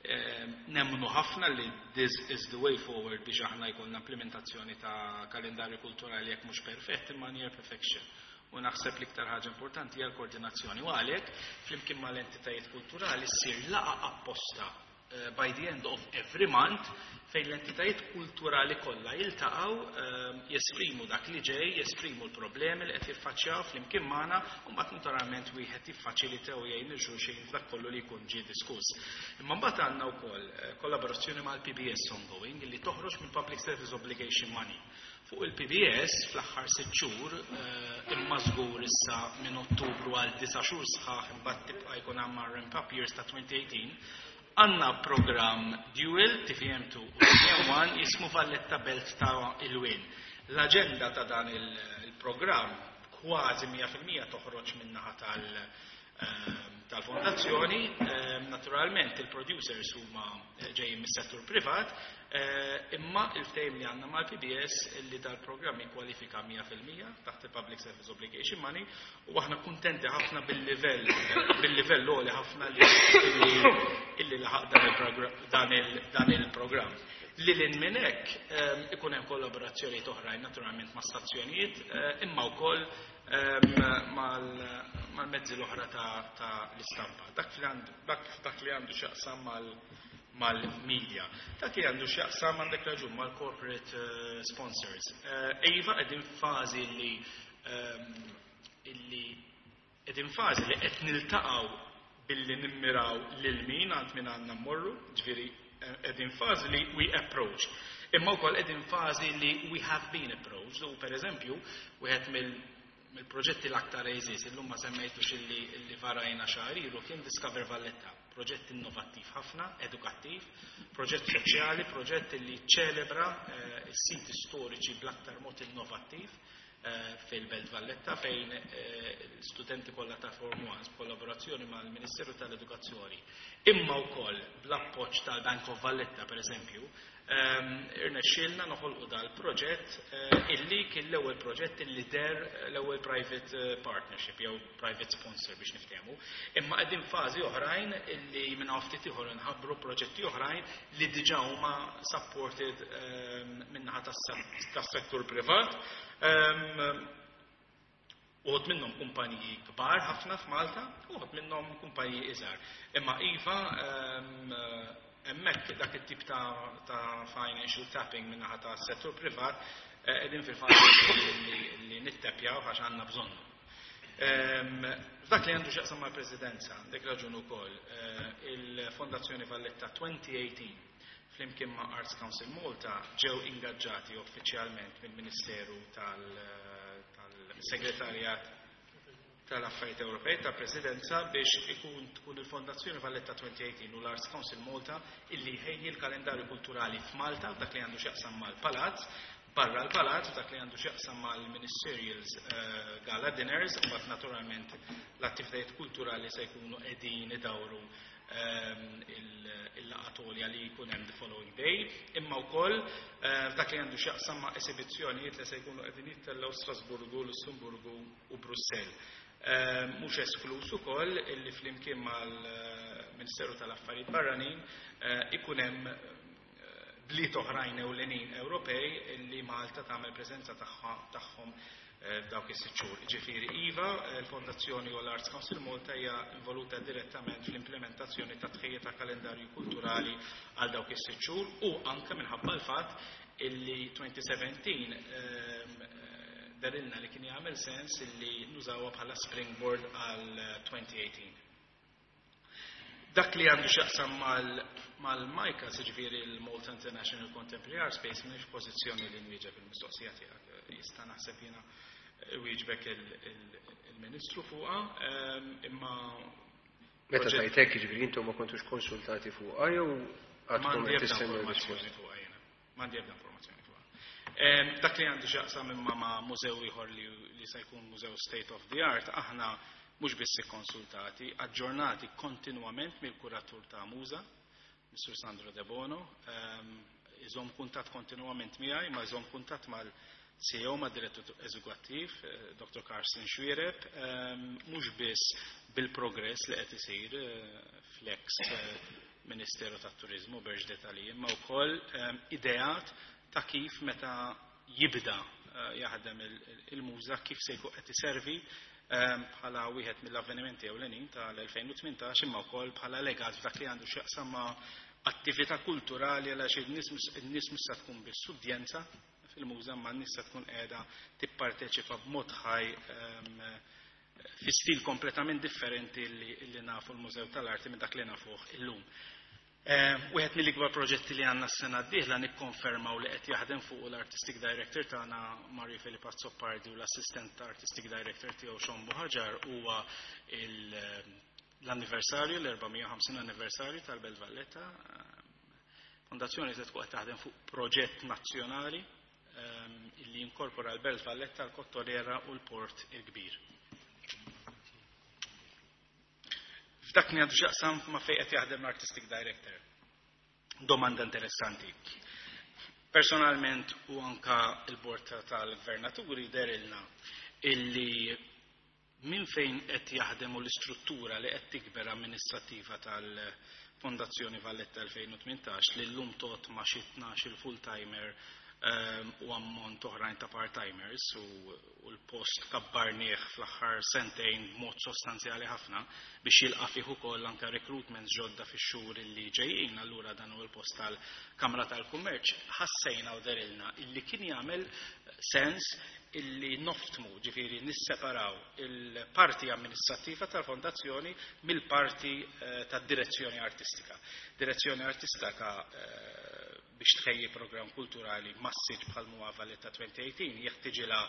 Eh, Nemmnu ħafna li this is the way forward biex aħna jkollna implementazzjoni ta' kalendarju kulturali jekk mhux perfett imma near perfection. U naħseb l-iktar ħaġa importanti hija l-koordinazzjoni. U għalhekk flimkien mal-entitajiet kulturali ssir laqgħa apposta eh, by the end of every month fejn l-entitajiet kulturali kollha jiltaqgħu, eh, jesprimu dak li ġej, jesprimu l-problemi li qed jiffaċċjaw flimkien magħna u mbagħad naturalment wieħed jiffaċilita u jgħin lil xulxin f'dak kollu li jkun ġie diskuss. Imma mbagħad għandna wkoll eh, kollaborazzjoni mal-P B S ongoing li toħroġ mill Public Service Obligation Money. Fuq il-P B S fl-aħħar sitt xhur, eh, imma żgur issa minn Ottubru għal disa' xhur sħaħ, imbagħad tibqa' jkun hemm ramp up years ta' twenty eighteen, għandna programm dual T V M two u T V M one jismu Valletta Belt ta' Ilwien. L-aġenda ta' dan il-programm kważi mija fil-mija toħroġ min-naħa tal- eh, tal-fondazzjoni. Eh, naturalment il-producers huma ġejjin mis-settur privat, eh, imma il-ftehim li għandna mal-P B S li dal-programm jikkwalifika mija fil-mija taħt il-Public Service Obligation Money u aħna kuntenti ħafna bil-livell bil-livell għoli ħafna li illi laħaq dan il- dan il-programm. Li l minn hekk ehm, ikun hemm kollaborazzjonijiet oħrajn naturalment ma' stazzjonijiet eh, imma wkoll ehm, mal-mezzi l-oħra ta' l-istampa. Dak li għandu x'jaqsam mal-media. Dak li għandu x'jaqsam, għandek raġun, mal-corporate eh, sponsors. Eh, iva, qegħdin fażi li ehm, illi qegħdin fażi li qed niltaqgħu billi nimmiraw lil min għand min għandna mmorru, ġifieri qegħdin fażi li we approach. Imma wkoll qegħdin fażi li we have been approached. U per eżempju, wieħed mill-proġetti l-aktar għeżież, illum ma semmejtux, illi, illi varajna xahar ilu, kien Discover Valletta, proġett innovattiv ħafna, edukattiv, proġett soċjali, proġett li ċelebra eh, s-siti storiċi bl-aktar mod innovattiv eh, fil-Belt Valletta, fejn eh, studenti kollha ta' Form one b'kollaborazzjoni mal-Ministeru tal-Edukazzjoni imma wkoll bl-appoġġ tal-Bank of Valletta, per eżempju, ehm, irnexxielna noħolqu dal-proġett eh, illi kien l-ewwel proġett illi der l-ewwel private eh, partnership jew private sponsor biex niftehmu. Imma qegħdin fażi oħrajn illi minn hawn ftit ieħor nħabbru proġetti oħrajn li diġà huma supported ehm, min-naħa tas-settur privat. Ehm, Uħud minnhom kumpaniji kbar ħafna f'Malta, uħud minnhom kumpaniji iżgħar. Imma iva, ehm, hemmhekk dak it-tip ta', ta financial tapping min-naħa ta' settur privat eh, qegħdin fil-fażi li, li nittepjaw għax għandna bżonnu. Ehm, F'dak li għandu x'jaqsam mal-Presidenza, dik raġun ukoll, eh, il-Fondazzjoni Valletta twenty eighteen flimkien ma' Arts Council Malta ġew ingaġġati uffiċjalment mill-Ministeru tal-Segretarjat tal-Affarijiet Ewropej ta' Presidenza biex ikun tkun il-Fondazzjoni Valletta twenty eighteen u l-Arts Council Malta illi ħejji l-kalendarju kulturali f'Malta dak li għandu x'jaqsam mal-Palazz, barra l-Palazz, dak li għandu x'jaqsam mal-Ministerials uh, Gala Dinners, u naturalment l-attivitajiet kulturali se jkunu qegħdin idawru um, il-laqgħa li jkun hemm the following day, imma wkoll uh, dak li għandu x'jaqsam ma' esibizzjonijiet li se jkunu qegħdin jittellgħu Strasburgu, Lussemburgu u Brussell. Ehm, mhux esklus ukoll illi flimkien mal-Ministeru tal-Affarijiet Barranin eh, ikun hemm eh, bliet oħrajn ewlenin Ewropej li Malta tagħmel preżenza tagħhom f'dawk is-sitt xhur. Ġifieri iva, l-Fondazzjoni u l-Arts Council Malta hija involuta direttament fl-implementazzjoni ta' tħejja ta' kalendarju kulturali għal dawk is-sitt xhur u anke minħabba l-fatt illi twenty seventeen dehrilna li kien jagħmel sens illi nużawha bħala springboard għal twenty eighteen. Dak li għandu x'jaqsam mal-MICAS, ġifieri il-Malta International Contemporary Art Space, m'iniex f'pożizzjoni li nwieġeb il-mistoqsija tiegħek. Jista' naħseb jiena wieġbek il-Ministru fuqha, imma Meta tajtek, ġifieri intom ma kontux konsultati fuqha jew għadkom M'għandi qed ebda tistennew informazzjoni risposta? Fuqha jiena. M'għandi ebda informazzjoni fuqha. Dak li għandu x'jaqsam imma ma' mużew ieħor li, li se jkun mużew state of the art, aħna mhux biss ikkonsultati, aġġornati kontinwament mill-kuratur ta' Muża, Mister Sandro De Bono, iżomm kuntatt kontinwament miegħi, ma iżomm kuntatt mal-C E O, ma' direttur eżekuttiv, eh, Doctor Carsten Xuereb, mhux biss bil-progress li qed isir eh, fl-ex eh, Ministeru tat-Turizmu Bernard Grech, imma wkoll ideat ta' kif meta jibda jaħdem il-muża kif se jkun qed iservi bħala wieħed mill-avvenimenti ewlenin tal-elfejn u tmintax, imma wkoll bħala legat f'dak li għandu x'jaqsam ma' attività kulturali, għaliex in-nies mhux se tkun biss udjenza fil-muża, ma n-nies se tkun qiegħda tipparteċipa b'mod ħaj fi stil kompletament differenti li, li nafu l-Mużew tal-Arti minn dak li nafuh illum. Wieħed mill-ikbar proġetti li għandna s-sena d-dieħla nikkonfermaw li qed jaħdem fuq l-Artistic Director tagħna Mario Filippo Azzopardi u l-Assistant Artistic Director tiegħu Sean Buhagiar huwa l-anniversarju, l-erba' mija u ħamsin anniversarju tal-Belt Valletta. Fondazzjoni se tkun qed taħdem fuq proġett nazzjonali illi jinkorpora l-Belt Valletta, l-Kottonera u l-Port il-Kbir. F'dak li għandu x'jaqsam ma' fejn qed jaħdem l-Artistic Director. Domanda interessanti. Personalment u anka il-bord tal-gvernaturi dehrilna illi minn fejn qed jaħdem u l-istruttura li qed tikber amministrativa tal-Fondazzjoni Valletta elfejn u tmintax, li llum tot ma' xi tnax il-full-timer u ammont oħrajn ta' part-timers u, u l-post kabbarnieh fl-aħħar sentejn b'mod sostanzjali ħafna biex jilqa' fih ukoll anke recruitments ġodda fix-xhur li ġejjin, allura dan hu l-post tal-Kamra tal-Kummerċ, ħassejna u dehrilna illi kien jagħmel sens illi noftmu, ġifieri nisseparaw il-parti amministrattiva tal-fondazzjoni mill-parti eh, tad-direzzjoni artistika. Direzzjoni artistika eh, biex tħejji program kulturali massiġ bħal huwa Valletta twenty eighteen jeħtiġilha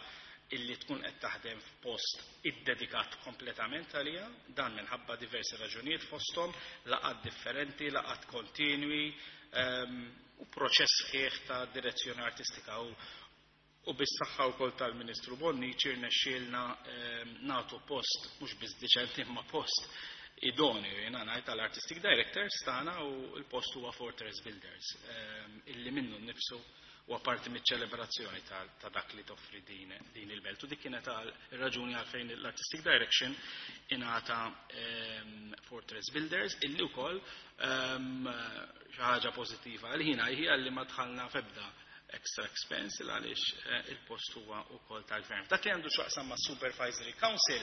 illi tkun qed taħdem f'post iddedikat kompletament għalija, dan minħabba diversi raġunijiet, fosthom laqgħat differenti, laqgħat kontinwi um, u proċess sħiħ ta' direzzjoni artistika u u bis-saħħa wkoll tal-Ministru Bonnici rnexxielna um, nagħtu post mhux biss diċenti imma post idonju, jiena ngħid, tal-Artistic Directors tagħna, u l-post huwa Fortress Builders um, illi minnu nnifsu u apparti miċ-ċelebrazzjoni ta', ta dak li toffri din, din il-belt. U dik kienet ir-raġuni għalfejn l-Artistic Direction ingħata um, Fortress Builders, illi wkoll um, xi ħaġa pożittiva għalina hija li ma dħalna f'ebda extra expense għaliex eh, il-post huwa wkoll tal-gvern. Dak li għandu x'jaqsam ma' Supervisory Council,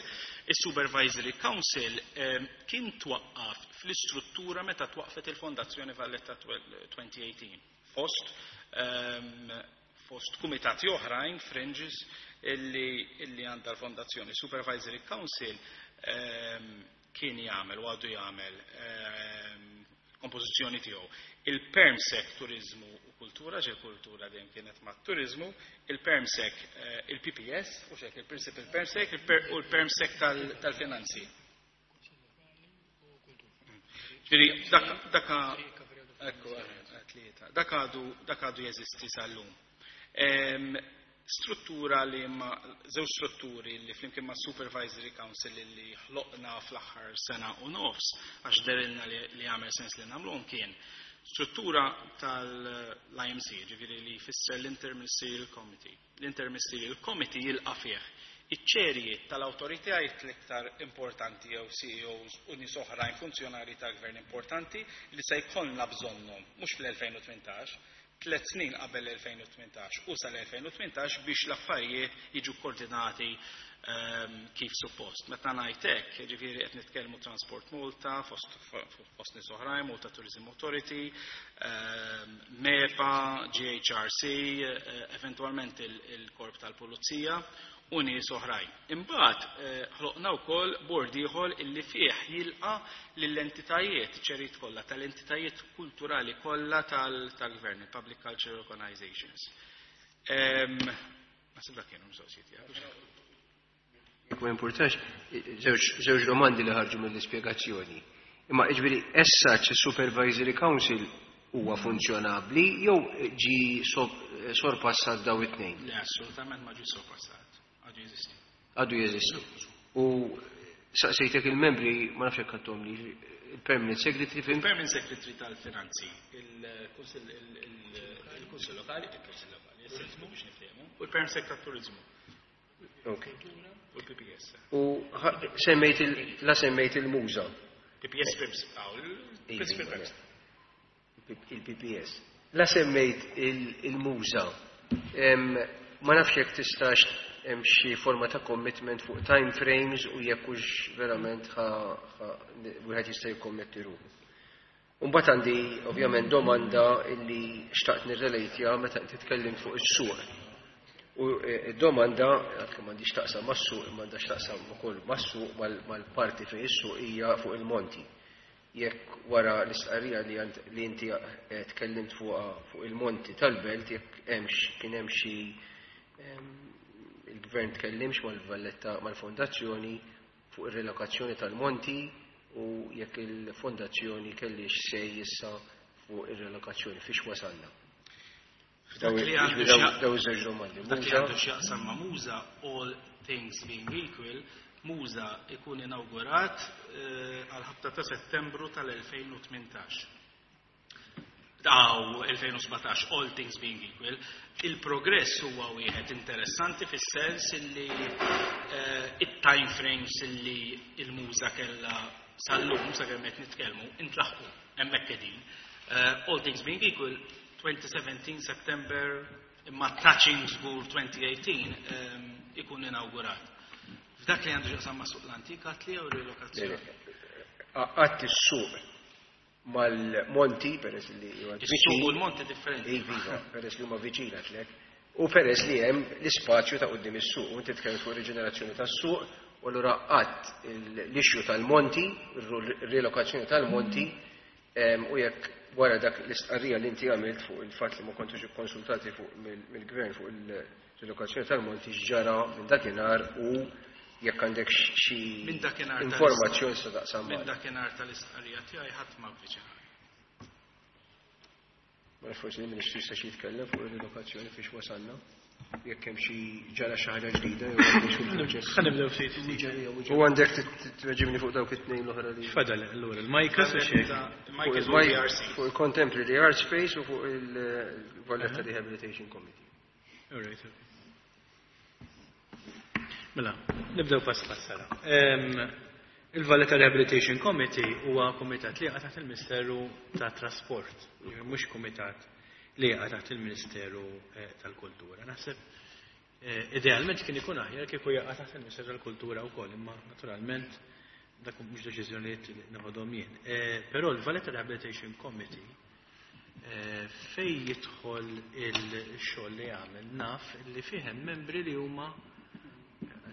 il-Supervisory Council eh, kien twaqqaf fl-istruttura meta twaqfet il-Fondazzjoni Valletta twenty eighteen. Fost um, fost kumitati oħrajn, fringes, illi, illi għandha l-Fondazzjoni. Supervisory Council um, kien jagħmel u għadu jagħmel um, kompożizzjoni tiegħu. Il-Permsec Turizmu u Kultura, ġe kultura dejjem kienet ma' turizmu, il-Permsec, eh, il-P P S, u xek il-Principal Permsec u l-Permsec tal-Finanzi. Ġifieri, daka, ekku, tlieta, dak għadu dak għadu jeżisti sal-lum. Struttura li ma żewġ strutturi li flimkien ma' Supervisory Council li ħloqna fl-aħħar sena u nofs għax dehrilna li, li għamel sens li nagħmluhom, kien struttura tal-I M C, ġifieri li jfisser l-Interministerial Committee. L-Interministerial Committee jilqa' fih iċ-ċerijiet tal-awtoritajiet l-iktar importanti jew C E Os u nies oħrajn, funzjonari tal-gvern importanti li se jkollna bżonnhom mhux fl-elfejn u tmintax, tliet snin qabel elfejn u tmintax u sal-elfejn u tmintax biex l-affarijiet jiġu koordinati ehm, kif suppost. Meta ngħid hekk, jiġifieri qed nitkellmu Transport Malta, fost, fost nies oħrajn, Malta Tourism Authority, ehm, MEPA, G H R C, eh, eventwalment il-Korp tal-Pulizija u nies oħrajn. Imbagħad, eh, ħloqna wkoll bord ieħor illi fih jilqa' lill-entitajiet, ċerit kollha tal-entitajiet kulturali kollha tal-, tal-gvern, il-Public Cultural Organizations. Ehm, naħseb dak kienu mistoqsijiet tiegħek. Jekk ma jimpurtax, żewġ, żewġ domandi li ħarġu mill-ispjegazzjoni. Imma jiġifieri as such il-Supervisory Council huwa funzjonabbli jew ġi sob-, sorpassat daw it-tnejn? Le, assolutament ma ġi sorpassat. Għadu jeżisti. Għadu jeżisti. U saqsejtek il-membri, ma nafx hekk għandhom li il-Permanent Secretary fin? Il-Permanent Secretary tal-Finanzi, il-Kunsill, il-, il-Kunsill Lokali, il-Kunsill Lokali, il-Turizmu biex niftehmu, u l-Permanent Secretary tat-Turizmu. Ok. U l-P P S. U ħa-, semmejt il-, la semmejt il-Muża. P P S Prims, għaw, il-Principal Iva, Prims. Il-P P S. La semmejt il-, il-Muża. Em, ma nafx jekk tistax hemm xi forma ta' commitment fuq time frames u jekk hux verament ħa, ħa, wieħed jista' jikkommetti ruħu. U mbagħad għandi ovvjament domanda illi xtaqt nirrelatja meta inti tkellimt fuq is-suq. U, eh, id-domanda, għalkemm m'għandix taqsam mas-suq, imma għandha x'taqsam ukoll mas-suq mal-, mal-parti fejn is-suq hija fuq il-monti. Jekk wara l-istqarrija li għand-, li inti, eh, tkellimt fuqha fuq il-monti tal-belt, jekk hemmx, kien hemm xi, ehm, il-gvern tkellimx mal-Valletta, mal-fondazzjoni fuq ir-relokazzjoni tal-monti u jekk il-fondazzjoni kellix sej issa fuq ir-relokazzjoni, fiex wasalna. Dak li għandu Daw x'jaq- daw iż-żewġ domandi. Dak li Muża? għandu x'jaqsam ma' Muża, all things being equal, Muża ikun inawgurat, eh, għal ħabta ta' Settembru tal-elfejn u tmintax. Daw elfejn u sbatax, all things being equal. Il-progress huwa wieħed interessanti fis-sens illi, eh, it-time frames illi il-Muża kellha sal-lum, sakemm qed nitkellmu, intlaħqu hemmhekk qegħdin. Eh, all things being equal, twenty seventeen September, imma touching żgur twenty eighteen, ehm, ikun inawgurat. F'dak li għandu x'jaqsam ma' suq l-antik, għat li jew rilokazzjoni? Għatt is-suq mal-monti, peress li huwa Is-suq u viċin. l-monti differenti. Iva, iva, peress li huma viċin għatlek. U peress li hemm l-ispazju ta' quddiem is-suq, u inti tkellem fuq riġenerazzjoni tas-suq, u allura qatt l-issue tal-monti, ir-rilokazzjoni tal-monti, em, u jekk wara dak l-istqarrija li inti għamilt fuq il-fatt li ma kontux ikkonsultati fuq mill-, mill-gvern fuq il-rilokazzjoni tal-monti x'ġara minn dakinhar u jekk għandek xi Minn dakinhar tal-ist- informazzjoni se taqsam Minn magħna. dakinhar tal-istqarrija tiegħi ħadd ma avviċinani. Ma nafx forsi l-Ministru jista' xi jitkellem fuq ir-rilokazzjoni fiex wasalna, jekk hemm xi ġara xi ħaġa ġdida jew għandek xi proċess. Ħa nibdew ftit ftit. U għandek tit-, tit-, tweġibni fuq dawk it-tnejn l-oħra li Fadal allura il-Majka su xejn. Il-Majka Fuq u il-Maj- L R C. fuq il-Contemporary Art Space u fuq il-Valletta Rehabilitation Committee. All right, okay. Mela, nibdew pass pass sara. Ehm, il-Valletta Rehabilitation Committee huwa kumitat li jaqa' taħt il-Ministeru ta' Trasport, jiġifieri mhux kumitat li jaqa' taħt il-Ministeru, eh, tal-Kultura. Naħseb, eh, idealment kien ikun aħjar kieku jaqa' taħt il-Ministeru tal-Kultura wkoll, imma naturalment dak mhux deċiżjonijiet li naħodhom jien. Eh, però l-Valletta Rehabilitation Committee, eh, fej jidħol il-xogħol li jagħmel naf li fih hemm membri li huma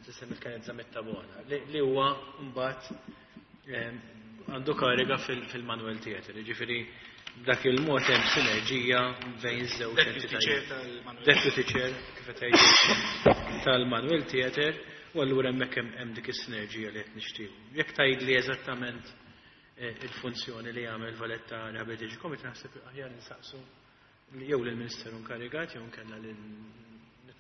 tisem il-kanezza Mettabona, li, li huwa mbagħad, ehm, għandu kariga fil-, fil-Manuel Theatre, jiġifieri dak il-mod hemm sinerġija bejn żewġ Deputy entitajiet. Chair tal-Manuel. Deputy Chair, kif qed tgħidu, tal-Manuel Theatre, u allura hemmhekk hemm, hemm dik is-sinerġija li qed nixtiequ. Jekk tgħidli eżattament, eh, il-funzjoni li jagħmel Valletta Rehabilitation Committee, naħseb aħjar nsaqsu jew lill-Ministeru inkarigat jew nkella lil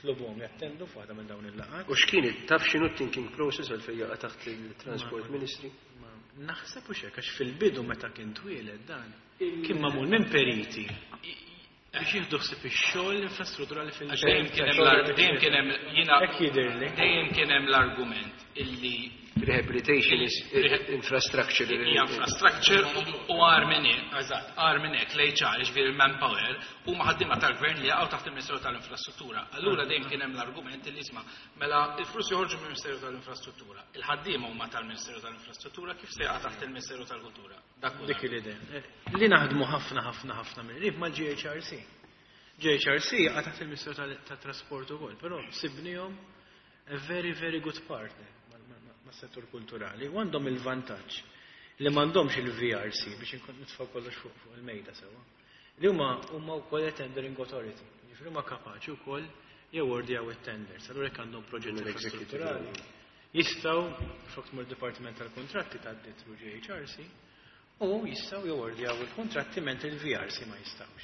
nitlobuhom jattendu f'waħda minn dawn il-laqgħat. U x'kien it-, taf x'inhu t-thinking process għalfejn jaqa' taħt il-Transport Ma- Ministry? Ma naħseb u xek, għax fil-bidu meta kien twieled dan, kien magħmul minn periti biex jieħdu ħsieb ix-xogħol l-infrastruttura li fil- Għax dejjem kien hemm l-ar-, dejjem kien hemm, jiena Hekk jidhirli. dejjem kien hemm l-argument illi Rehabilitation is infrastructure. Hija infrastructure u agħar minn hekk, eżatt, agħar minn hekk l-H R, ġifieri il-manpower, huma ħaddiema tal-gvern li jaqgħu taħt il-Ministeru tal-Infrastruttura. Allura dejjem kien hemm l-argument li, isma', mela il-flus joħorġu mill-Ministeru tal-Infrastruttura. Il-ħaddiema huma tal-Ministeru tal-Infrastruttura, kif se jaqa' taħt il-Ministeru tal-Kultura? Dak hu. Dik l-idea. Li naħdmu ħafna ħafna ħafna mill-qrib mal-G H R C. G H R C jaqa' taħt il-Ministeru tal-Trasport ukoll, però sibnihom a very, very good partner mas-settur kulturali u għandhom il-vantaġġ li m'għandhomx il-V R C, biex inkun nitfgħu kollox fuq fuq il-mejda sewwa. Li huma huma wkoll tendering authority. Jiġifieri huma kapaċi wkoll jawardjaw it-tenders. Allura jekk għandhom proġetti infrastrutturali, jistgħu flok tmur Dipartiment tal-Kontratti tgħaddi through G H R C u jistgħu jawardjaw il-kontratti mentri il-V R C ma jistgħux.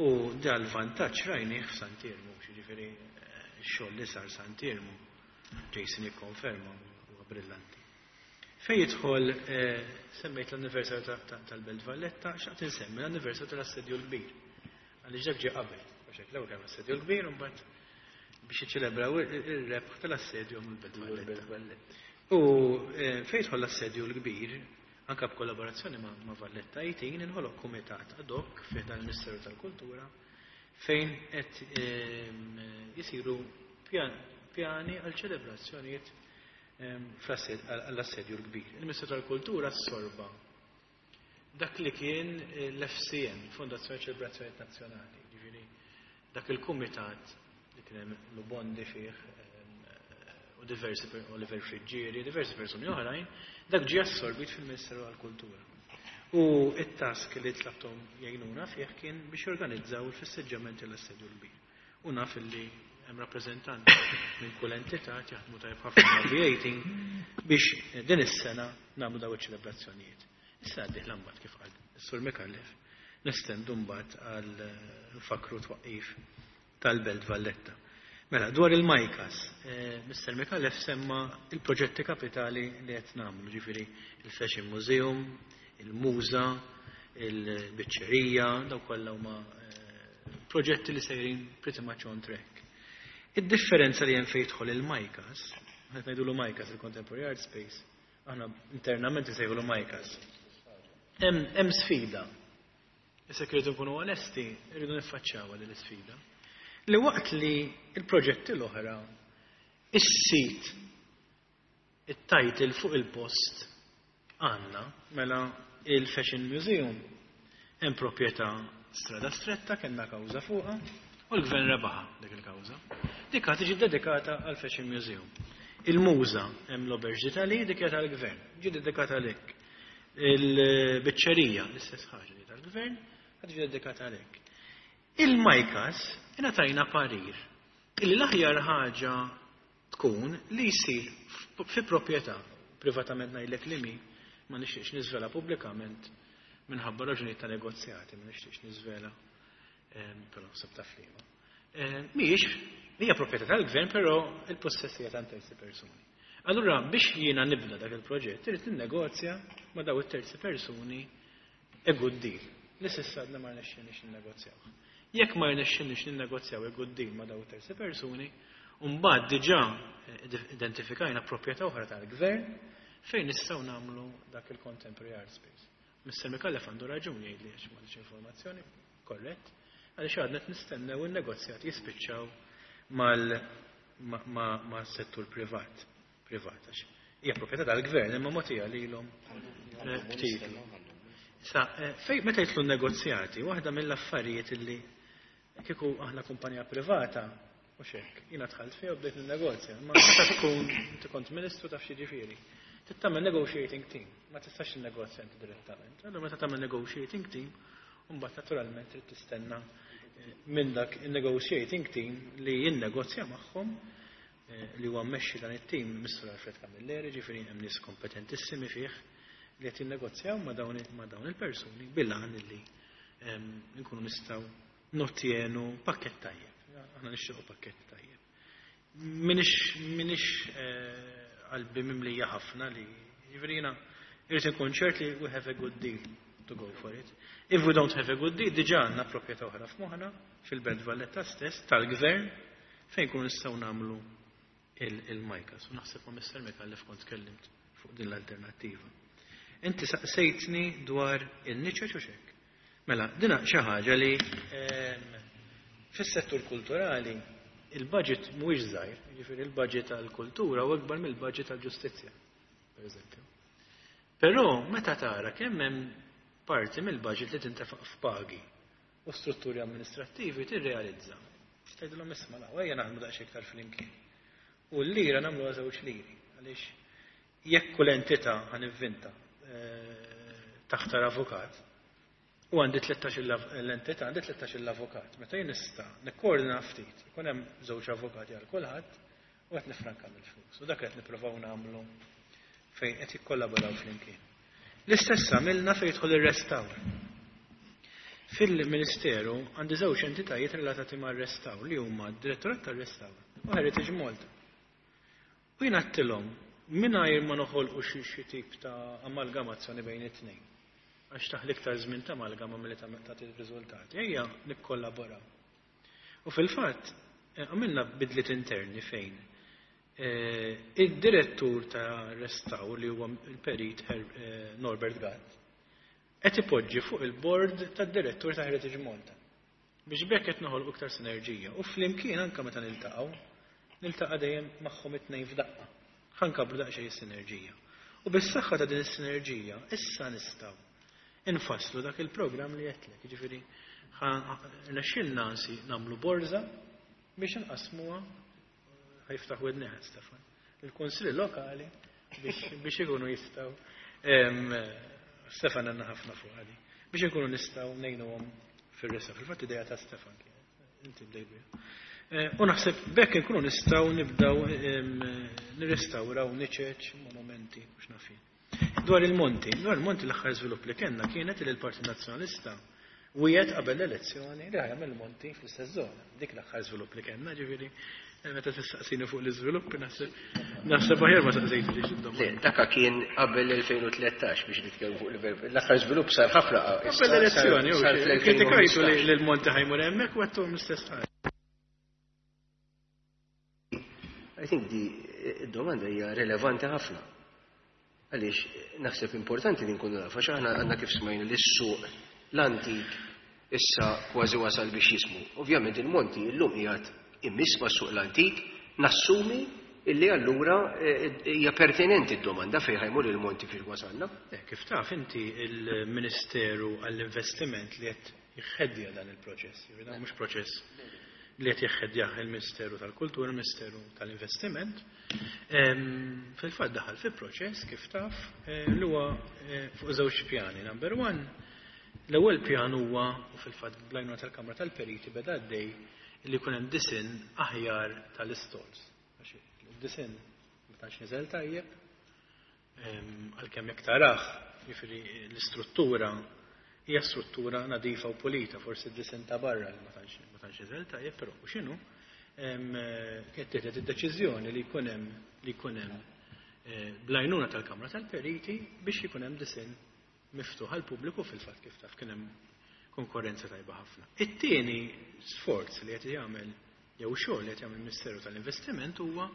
U dal-vantaġġ rajnih f'Sant'Iermu, jiġifieri x-xogħol li sar Sant'Iermu, Jason jikkonferma, huwa brillanti. Fej jidħol, semmejt l-anniversarju tal-Belt Valletta, xtaqt insemmi l-anniversarju tal-Assedju l-Kbir. Għaliex dak ġie qabel, għax hekk l-ewwel kien l-Assedju l-Kbir u mbagħad biex jiċċelebraw ir-rebħ tal-assedju mill-Belt Valletta. U fejn jidħol l-Assedju l-Kbir, anka b'kollaborazzjoni ma' Valletta eighteen, inħoloq kumitat ad hoc fih dan il-Ministeru tal-Kultura fejn qed jisiru pjani għal ċelebrazzjonijiet għall-Assedju l-Kbir. Il-Ministeru tal-Kultura assorba dak li kien l-F C N, Fondazzjoni Ċelebrazzjonijiet Nazzjonali, ġifieri dak il-kumitat li kien hemm Lubondi fih u diversi, Oliver Friggieri, diversi persuni oħrajn, dak ġie assorbit fil-Ministeru għall-Kultura. U it-task li tlabtom jgħinuna fih kien biex jorganizzaw il-festeggiamenti l-Assedju l-Kbir. U naf li hemm rappreżentanti minn kull entità jaħdmu tajjeb ħafna ma' V eighteen biex din is-sena nagħmlu daw iċ-ċelebrazzjonijiet. Issa għaddih mbagħad, kif qal is-Sur Micallef, nestendu mbagħad għal fakru twaqqif tal-Belt Valletta. Mela, dwar il-MICAS, eh, Mister Micallef semma il-proġetti kapitali li qed nagħmlu, ġifieri il-Fashion Museum, il-Muża, il-Biċċerija, daw kollha huma eh, proġetti li sejrin pretty much on track. Id-differenza li hemm fejn jidħol il-MICAS, qed ngħidulu MICAS, il-Contemporary Art Space, aħna internament isejħulu MICAS. Hemm sfida. Issa rridu nkunu onesti, rridu niffaċċjaw din l-isfida. Li waqt li il-proġetti l-oħra, is-sit, it-title fuq il-post għandna, mela il-Fashion Museum, hemm proprjetà Strada Stretta, kellna kawża fuqha, u l-gvern rebaħa dik il-kawża. Dik tiġi dedikata għal Fashion Museum. Il-Muża hemm l-Auberge d'Italie, dik hija tal-gvern, ġi dedikata għalhekk. Il-Biċċerija, l-istess ħaġa li tal-gvern, tiġi dedikata għalhekk. Il-MICAS ingħatajna parir illi l-aħjar ħaġa tkun li jsir fi proprjetà privatament, ngħidlek li mi ma nixtieqx niżvela pubblikament minħabba raġunijiet ta' negozjati, ma nixtieqx niżvela, però naħseb taf liema. Mhijiex hija proprjetà tal-gvern, però il-possess hija ta' terzi persuni. Allura biex jiena nibda dak il-proġett, irid ninnegozja ma' daw it-terzi persuni a good deal. Li s'issa għadna ma rnexxinniex ninnegozjaw. Jekk ma rnexxinniex ninnegozjaw a good deal ma' daw it-terzi persuni, mbagħad diġà identifikajna proprjetà oħra tal-gvern fejn nistgħu nagħmlu dak il-Contemporary Art Space. Mister Micallef għandu raġun jgħid li għax m'għandix informazzjoni, korrett, għaliex għadna qed nistennew in-negozjati jispiċċaw mal-settur privat. Privat, għax hija proprjetà tal-gvern imma mogħtija lilhom b'titlu. Sa, fej meta jidħlu negozjati, waħda mill-affarijiet illi kieku aħna kumpanija privata, u xek, jiena dħalt fiha u bdejt ninnegozja, ma meta tkun inti kont ministru taf x'jiġifieri. Trid tagħmel negotiating team, ma tistax tinnegozja inti direttament. Allura meta tagħmel negotiating team, mbagħad naturalment trid tistenna minn dak il-negotiating team li jinnegozja magħhom, li huwa mmexxi dan it-team Mister Alfred Camilleri, ġifieri hemm nies kompetentissimi fih li qed jinnegozjaw ma' dawn ma' dawn il-persuni bil-għan li nkunu nistgħu nottjenu pakket tajjeb. Aħna nixtiequ pakket tajjeb. Minix minix qalbi mimlija ħafna li ġifieri jiena irrid inkun ċert li we have a good deal to go for it. If we don't have a good deal, diġà għandna proprjetà oħra f'moħħna fil-Belt Valletta stess tal-gvern fejn nkunu nistgħu nagħmlu il-MICAS. U naħseb ma' Mister Micallef kont tkellimt fuq din l-alternattiva. Inti saqsejtni dwar in-niċeċ u xek. Mela, dina xi ħaġa li fis-settur kulturali il-budget mhuwiex żgħir, jiġifieri il-budget għall-kultura huwa akbar mill-budget għall-ġustizzja, pereżempju. Però meta tara kemm hemm parti mill-budget li tintefaq f'pagi u strutturi amministrattivi tirrealizza. Tgħidilhom isma' la, ejja naħdmu daqsxejn iktar flimkien. U l-lira nagħmluha żewġ liri, għaliex jekk kull entità ħanivvinta taħtar avukat, u għandi tlettax l-entità, għandi tlettax l-avukat. Meta jien nista' nikkoordina ftit, ikun hemm żewġ avukati għal kulħadd u qed nifranka mill-flus. U dak qed nippruvaw nagħmlu fejn qed jikkollaboraw flimkien. L-istess għamilna fejn jidħol ir-restawr. Fil-Ministeru għandi żewġ entitajiet relatati mar-restawr li huma d-Direttorat tar-Restawr u Heritage Malta. U jien għedtilhom mingħajr ma noħolqu xi tip ta' amalgamazzjoni bejn it-tnejn. Għax taħli iktar żmien ta' amalgama milli tagħti riżultati. Ejja nikkollaboraw. U fil-fatt għamilna bidliet interni fejn id-direttur ta' restawr li huwa il-perit Norbert Gatt qed ipoġġi fuq il-board tad-direttur ta' Heritage Malta. Biex bekk qed noħolqu iktar sinerġija. U flimkien anke meta niltaqgħu, niltaqa' dejjem magħhom it-tnejn f'daqqa. Ħa nkabbru daqsxejn is-sinerġija. U bis-saħħa ta' din is-sinerġija issa nistgħu infasslu dak il-programm li għedtlek. Jiġifieri rnexxielna ansi nagħmlu borża biex nqasmuha, ħajftaħ widnejh Stefan, il-kunsilli lokali biex ikunu jistgħu, Stefan għandna ħafna fuq għadi, biex ikunu nistgħu ngħinuhom fir-resa. Fil-fatt idea ta' Stefan kienet, inti bdejt biha. U naħseb bekk inkunu nistgħu nibdew nirrestawraw niċeċ, monumenti, mhux nafin. Dwar il-Monti, dwar il-Monti l-aħħar żvilupp li kellna kienet li l-Partit Nazzjonalista wiegħed qabel l-elezzjoni li ħajamel il-Monti fl-istess żona. Dik l-aħħar żvilupp li kellna, ġifieri meta tistaqsini fuq l-iżviluppi naħseb naħseb aħjar ma saqsejtix id-domanda. Le, daka kien qabel l-elfejn u tlettax biex nitkellmu fuq l-iżvilupp. L-aħħar żvilupp sar ħafna qabel l-elezzjoni, kritikajtu li l-Monti ħajmur hemmhekk u għedthom l-istess ħaġa. I think di domanda hija relevanti ħafna. Għaliex naħseb importanti li nkunu nafu, għax aħna għandna kif smajna li s-suq l-antik issa kważi wasal biex jismu. Ovvjament il-Monti llum qiegħed immiss ma' suq l-antik, nassumi illi allura hija pertinenti d-domanda fejn ħajmur il-Monti fiex wasalna. Kif taf inti il-Ministeru għall-Investiment li qed jħeddja dan il-proċess, jiġifieri dan mhux proċess li qed jħeddjah il-Ministeru tal-Kultura, il-Ministeru tal-Investiment, fil-fatt daħal fi proċess kif taf li huwa fuq żewġ pjani. Number one, l-ewwel pjan huwa, u fil-fatt bl-għajnuna tal-Kamra tal-Periti beda għaddej, li jkun hemm disinn aħjar tal-istalls. Għax il-disinn ma tantx niżel tajjeb, għalkemm jekk tarah, jiġifieri l-istruttura hija struttura nadifa u pulita, forsi d-disinn ta' barra li ma tantx ma tantx niżel tajjeb, però u x'inhu, kienet tieħdet id-deċiżjoni li jkun hemm li jkun hemm bl-għajnuna tal-Kamra tal-Periti biex jkun hemm disinn miftuħ għall-pubbliku. Fil-fatt kif taf kien hemm konkurrenza tajba ħafna. It-tieni sforz li qed jagħmel jew xogħol li qed jagħmel il-Ministeru tal-Investiment huwa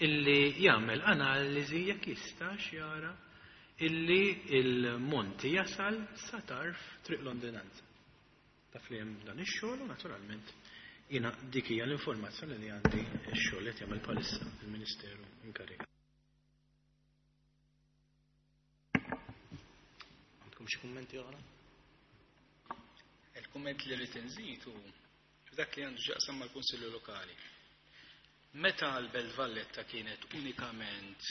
illi jagħmel analiżi jekk jistax jara illi il-Monti jasal sa tarf Triq Londinanza. Taf li hemm dan ix-xogħol u naturalment jiena dik hija l-informazzjoni li għandi x-xogħol li qed jagħmel bħalissa il-Ministeru inkarigat. Għandkom xi kummenti oħra? Il-kumment li rrid inżid hu dak li għandu x'jaqsam mal-Kunsilli Lokali. Meta l-Belt Valletta kienet unikament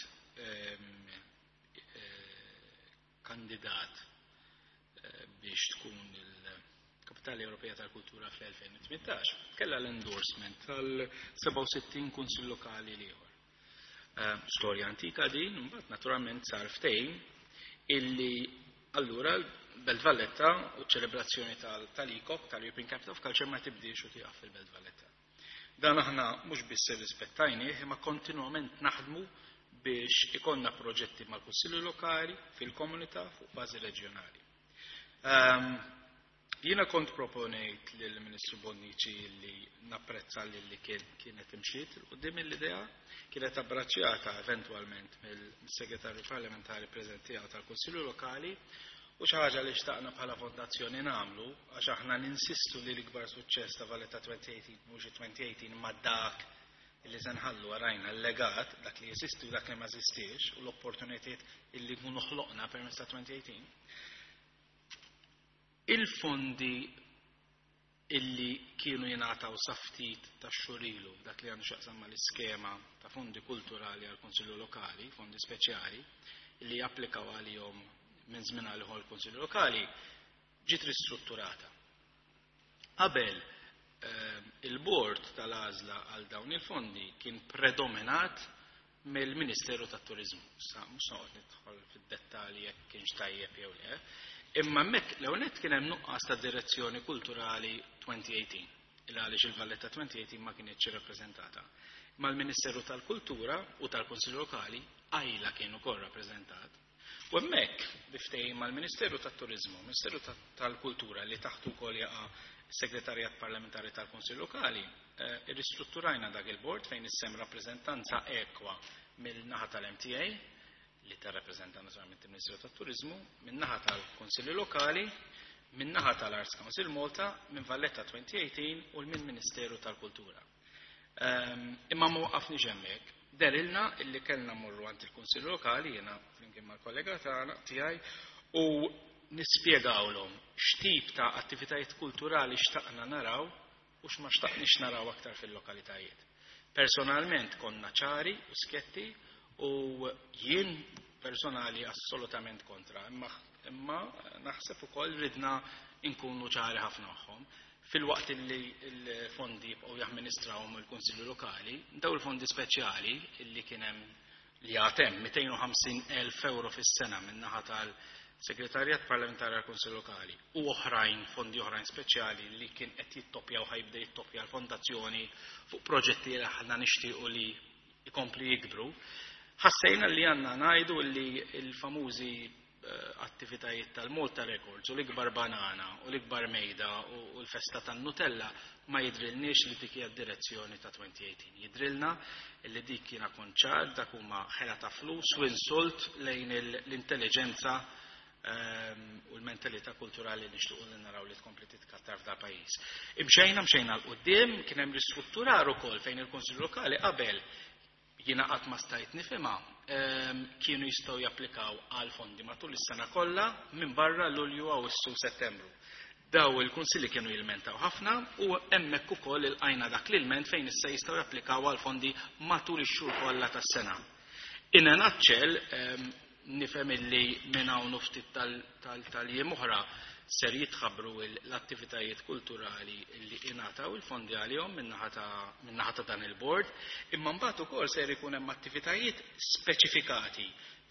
kandidat biex tkun il-Kapitali Ewropea tal-Kultura fl-elfejn u tmintax, kellha l-endorsement tal-sebgħa u sittin Kunsill Lokali l-ieħor. Storja antika din, imbagħad naturalment sar ftehim illi allura Belt Valletta u ċelebrazzjoni tal-I C O C, tal-European Capital of Culture, ma tibdiex u tieqaf fil-Belt Valletta. Dan aħna mhux biss irrispettajnieh, imma kontinwament naħdmu biex ikonna proġetti mal-Kunsilli Lokali, fil-komunità, fuq bażi reġjonali. Jiena kont proponejt lill-Ministru Bonnici li napprezza li li kienet imxiet 'il quddiem l-idea, kienet abbraċċjata eventwalment mill-Segretarju Parlamentari preżenti tal-Kunsillu Lokali, u xi ħaġa li xtaqna bħala fondazzjoni nagħmlu, għax aħna ninsistu li l-ikbar suċċess ta' Valletta twenty eighteen mhux twenty eighteen ma dak li se nħallu warajna, l-legat, dak li jeżisti u dak li ma jeżistix, u l-opportunitajiet illi nkunu ħloqna permezz ta' twenty eighteen. Il-fondi illi kienu jingħataw sa ftit ta' xhur ilu, dak li għandu x'jaqsam mal-iskema ta' fondi kulturali għal Konsilju Lokali, fondi speċjali, illi japplikaw għalihom minn żmien għal ieħor il-Konsilju Lokali, ġiet ristrutturata. Qabel eh, il-bord tal-għażla għal dawn il-fondi kien predominat mill-Ministeru tat-Turizmu. Sa mhux noqgħod nidħol fid-dettalji jekk kienx tajjeb jew le. Imma hemmhekk l-ewwel kien hemm nuqqas ta' direzzjoni kulturali twenty eighteen, il għaliex il-Valletta twenty eighteen ma kienx rappreżentata. Ma l-Ministeru tal-Kultura u tal-Kunsill Lokali għajla kien ukoll rappreżentat. U hemmhekk biftejn mal-Ministeru tat-Turizmu, Ministeru tal-Kultura li taħtu wkoll jaqa' Segretarjat Parlamentari tal-Kunsill Lokali, eh, irristrutturajna dak il-bord fejn issa hemm rappreżentanza ekwa mill-naħa tal-M T A li tirrappreżenta naturalment il-Ministeru tat-Turizmu, min-naħa tal-Kunsilli Lokali, min-naħa tal-Arts Council Malta, minn Valletta twenty eighteen u minn Ministeru tal-Kultura. Um, imma ma waqafniex hemmhekk. Dehrilna illi kellna morru għand il-Kunsill Lokali, jiena flimkien mal-kollega tagħna tiegħi, u nispjegawlhom x'tip ta' attivitajiet kulturali xtaqna naraw u x'ma xtaqniex naraw aktar fil-lokalitajiet. Personalment konna ċari u sketti u jien personali assolutament kontra, imma, imma naħseb ukoll ridna nkunu ċari ħafna magħhom. Fil-waqt li l-fondi jibqgħu jamministrawhom il-Kunsilli Lokali, daw il-fondi speċjali illi kien hemm, li għad hemm mitejn u ħamsin elf euro fis-sena min-naħa tal-Segretarjat Parlamentari għal Kunsill Lokali u oħrajn, fondi oħrajn speċjali li kien qed jittoppja u ħa jibda jittoppja l-fondazzjoni fuq proġetti li aħna nixtiequ li jkompli jikbru. Ħassejna li għandna ngħidu li l-famużi eh, attivitajiet tal-Malta Records u l-ikbar banana u l-ikbar mejda u l-festa tan-Nutella ma jidrilniex li dik hija direzzjoni ta' twenty eighteen. Jidrilna li dik kiena konċar, dak huma ħela ta' flus u insult lejn l-intelligenza ehm, u l-mentalità kulturali li nixtiequ li naraw li tkompli titkattar f'da pajjiż. Imxejna mxejna 'l quddiem, kien hemm ristrutturar ukoll fejn il-Kunsill Lokali qabel, jiena qatt ma stajt nifhimha, ehm, kienu jistgħu japplikaw għal fondi matul is-sena kollha minn barra Lulju, Awwissu, Settembru. Daw il-kunsilli kienu jilmentaw ħafna u hemmhekk ukoll ilqajna dak l-ilment fejn issa jistgħu japplikaw għal fondi matul ix-xhur kollha tas-sena. In a nutshell, ehm, nifhem illi minn hawn ftit tal-jiem oħra ser jitħabbru l-attivitajiet kulturali li ingħataw il-fondi għalihom min-naħa ta' dan il-bord, imma mbagħad ukoll ser ikun hemm attivitajiet speċifikati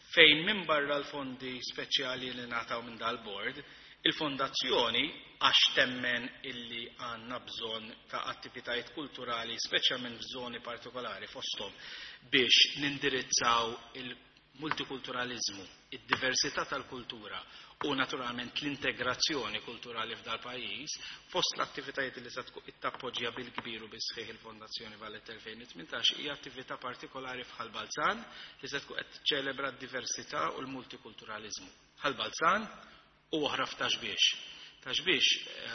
fejn minn barra l-fondi speċjali li ngħataw minn dal-bord, il-fondazzjoni, għax temmen illi għandna bżonn ta' attivitajiet kulturali, speċjalment f'żoni partikolari, fosthom biex nindirizzaw il-multikulturalizmu, id-diversità tal-kultura u naturalment l-integrazzjoni kulturali f'dal pajjiż, fost l-attivitajiet li se tappoġġja bil-kbir u bis-sħiħ il-Fondazzjoni Valletta twenty eighteen hija attività partikolari f'Ħal Balzan li se tkun qed tiċċelebra d-diversità u l-multikulturalizmu. Ħal Balzan u oħra f'Ta' Xbiex. Ta' Xbiex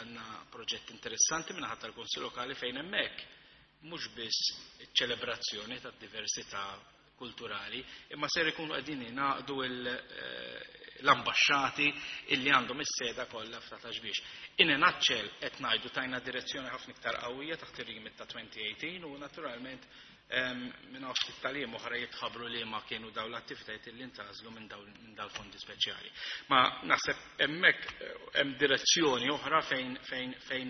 għandna proġett interessanti minn tal-Kunsill Lokali fejn hemmhekk mhux biss ċelebrazzjoni tad-diversità kulturali, imma ser ikunu qegħdin jingħaqdu l-ambasċati illi għandhom is-seda kollha f'ta' Xbiex. In a nutshell, qed ngħidu tajna direzzjoni ħafna iktar qawwija taħt ir-remit ta' twenty eighteen u naturalment minn hawn ftit tal-jiem oħra jitħabbru li ma kienu dawn l-attivitajiet li ntgħażlu minn dawn fondi speċjali. Ma naħseb hemmhekk hemm direzzjoni oħra fejn fejn fejn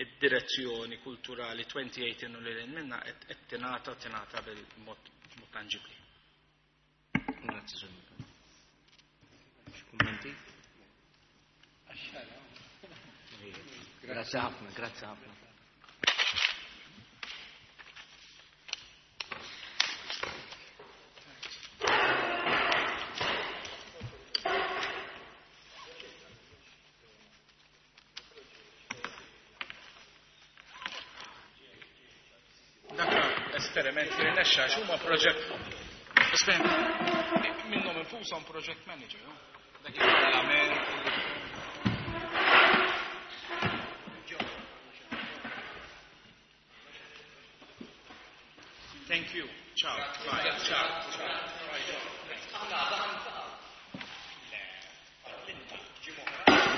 id-direzzjoni kulturali twenty eighteen u lil minna qed tingħata tingħata bil-mod tanġibli. Grazie, Sir. Kummenti? Grazie ħafna, grazie ħafna. esperiment li rnexxa għax huma project esperiment minnhom infushom project manager. No? Dak il-parlament. Thank you. Ciao. Bye. Ciao. Ciao.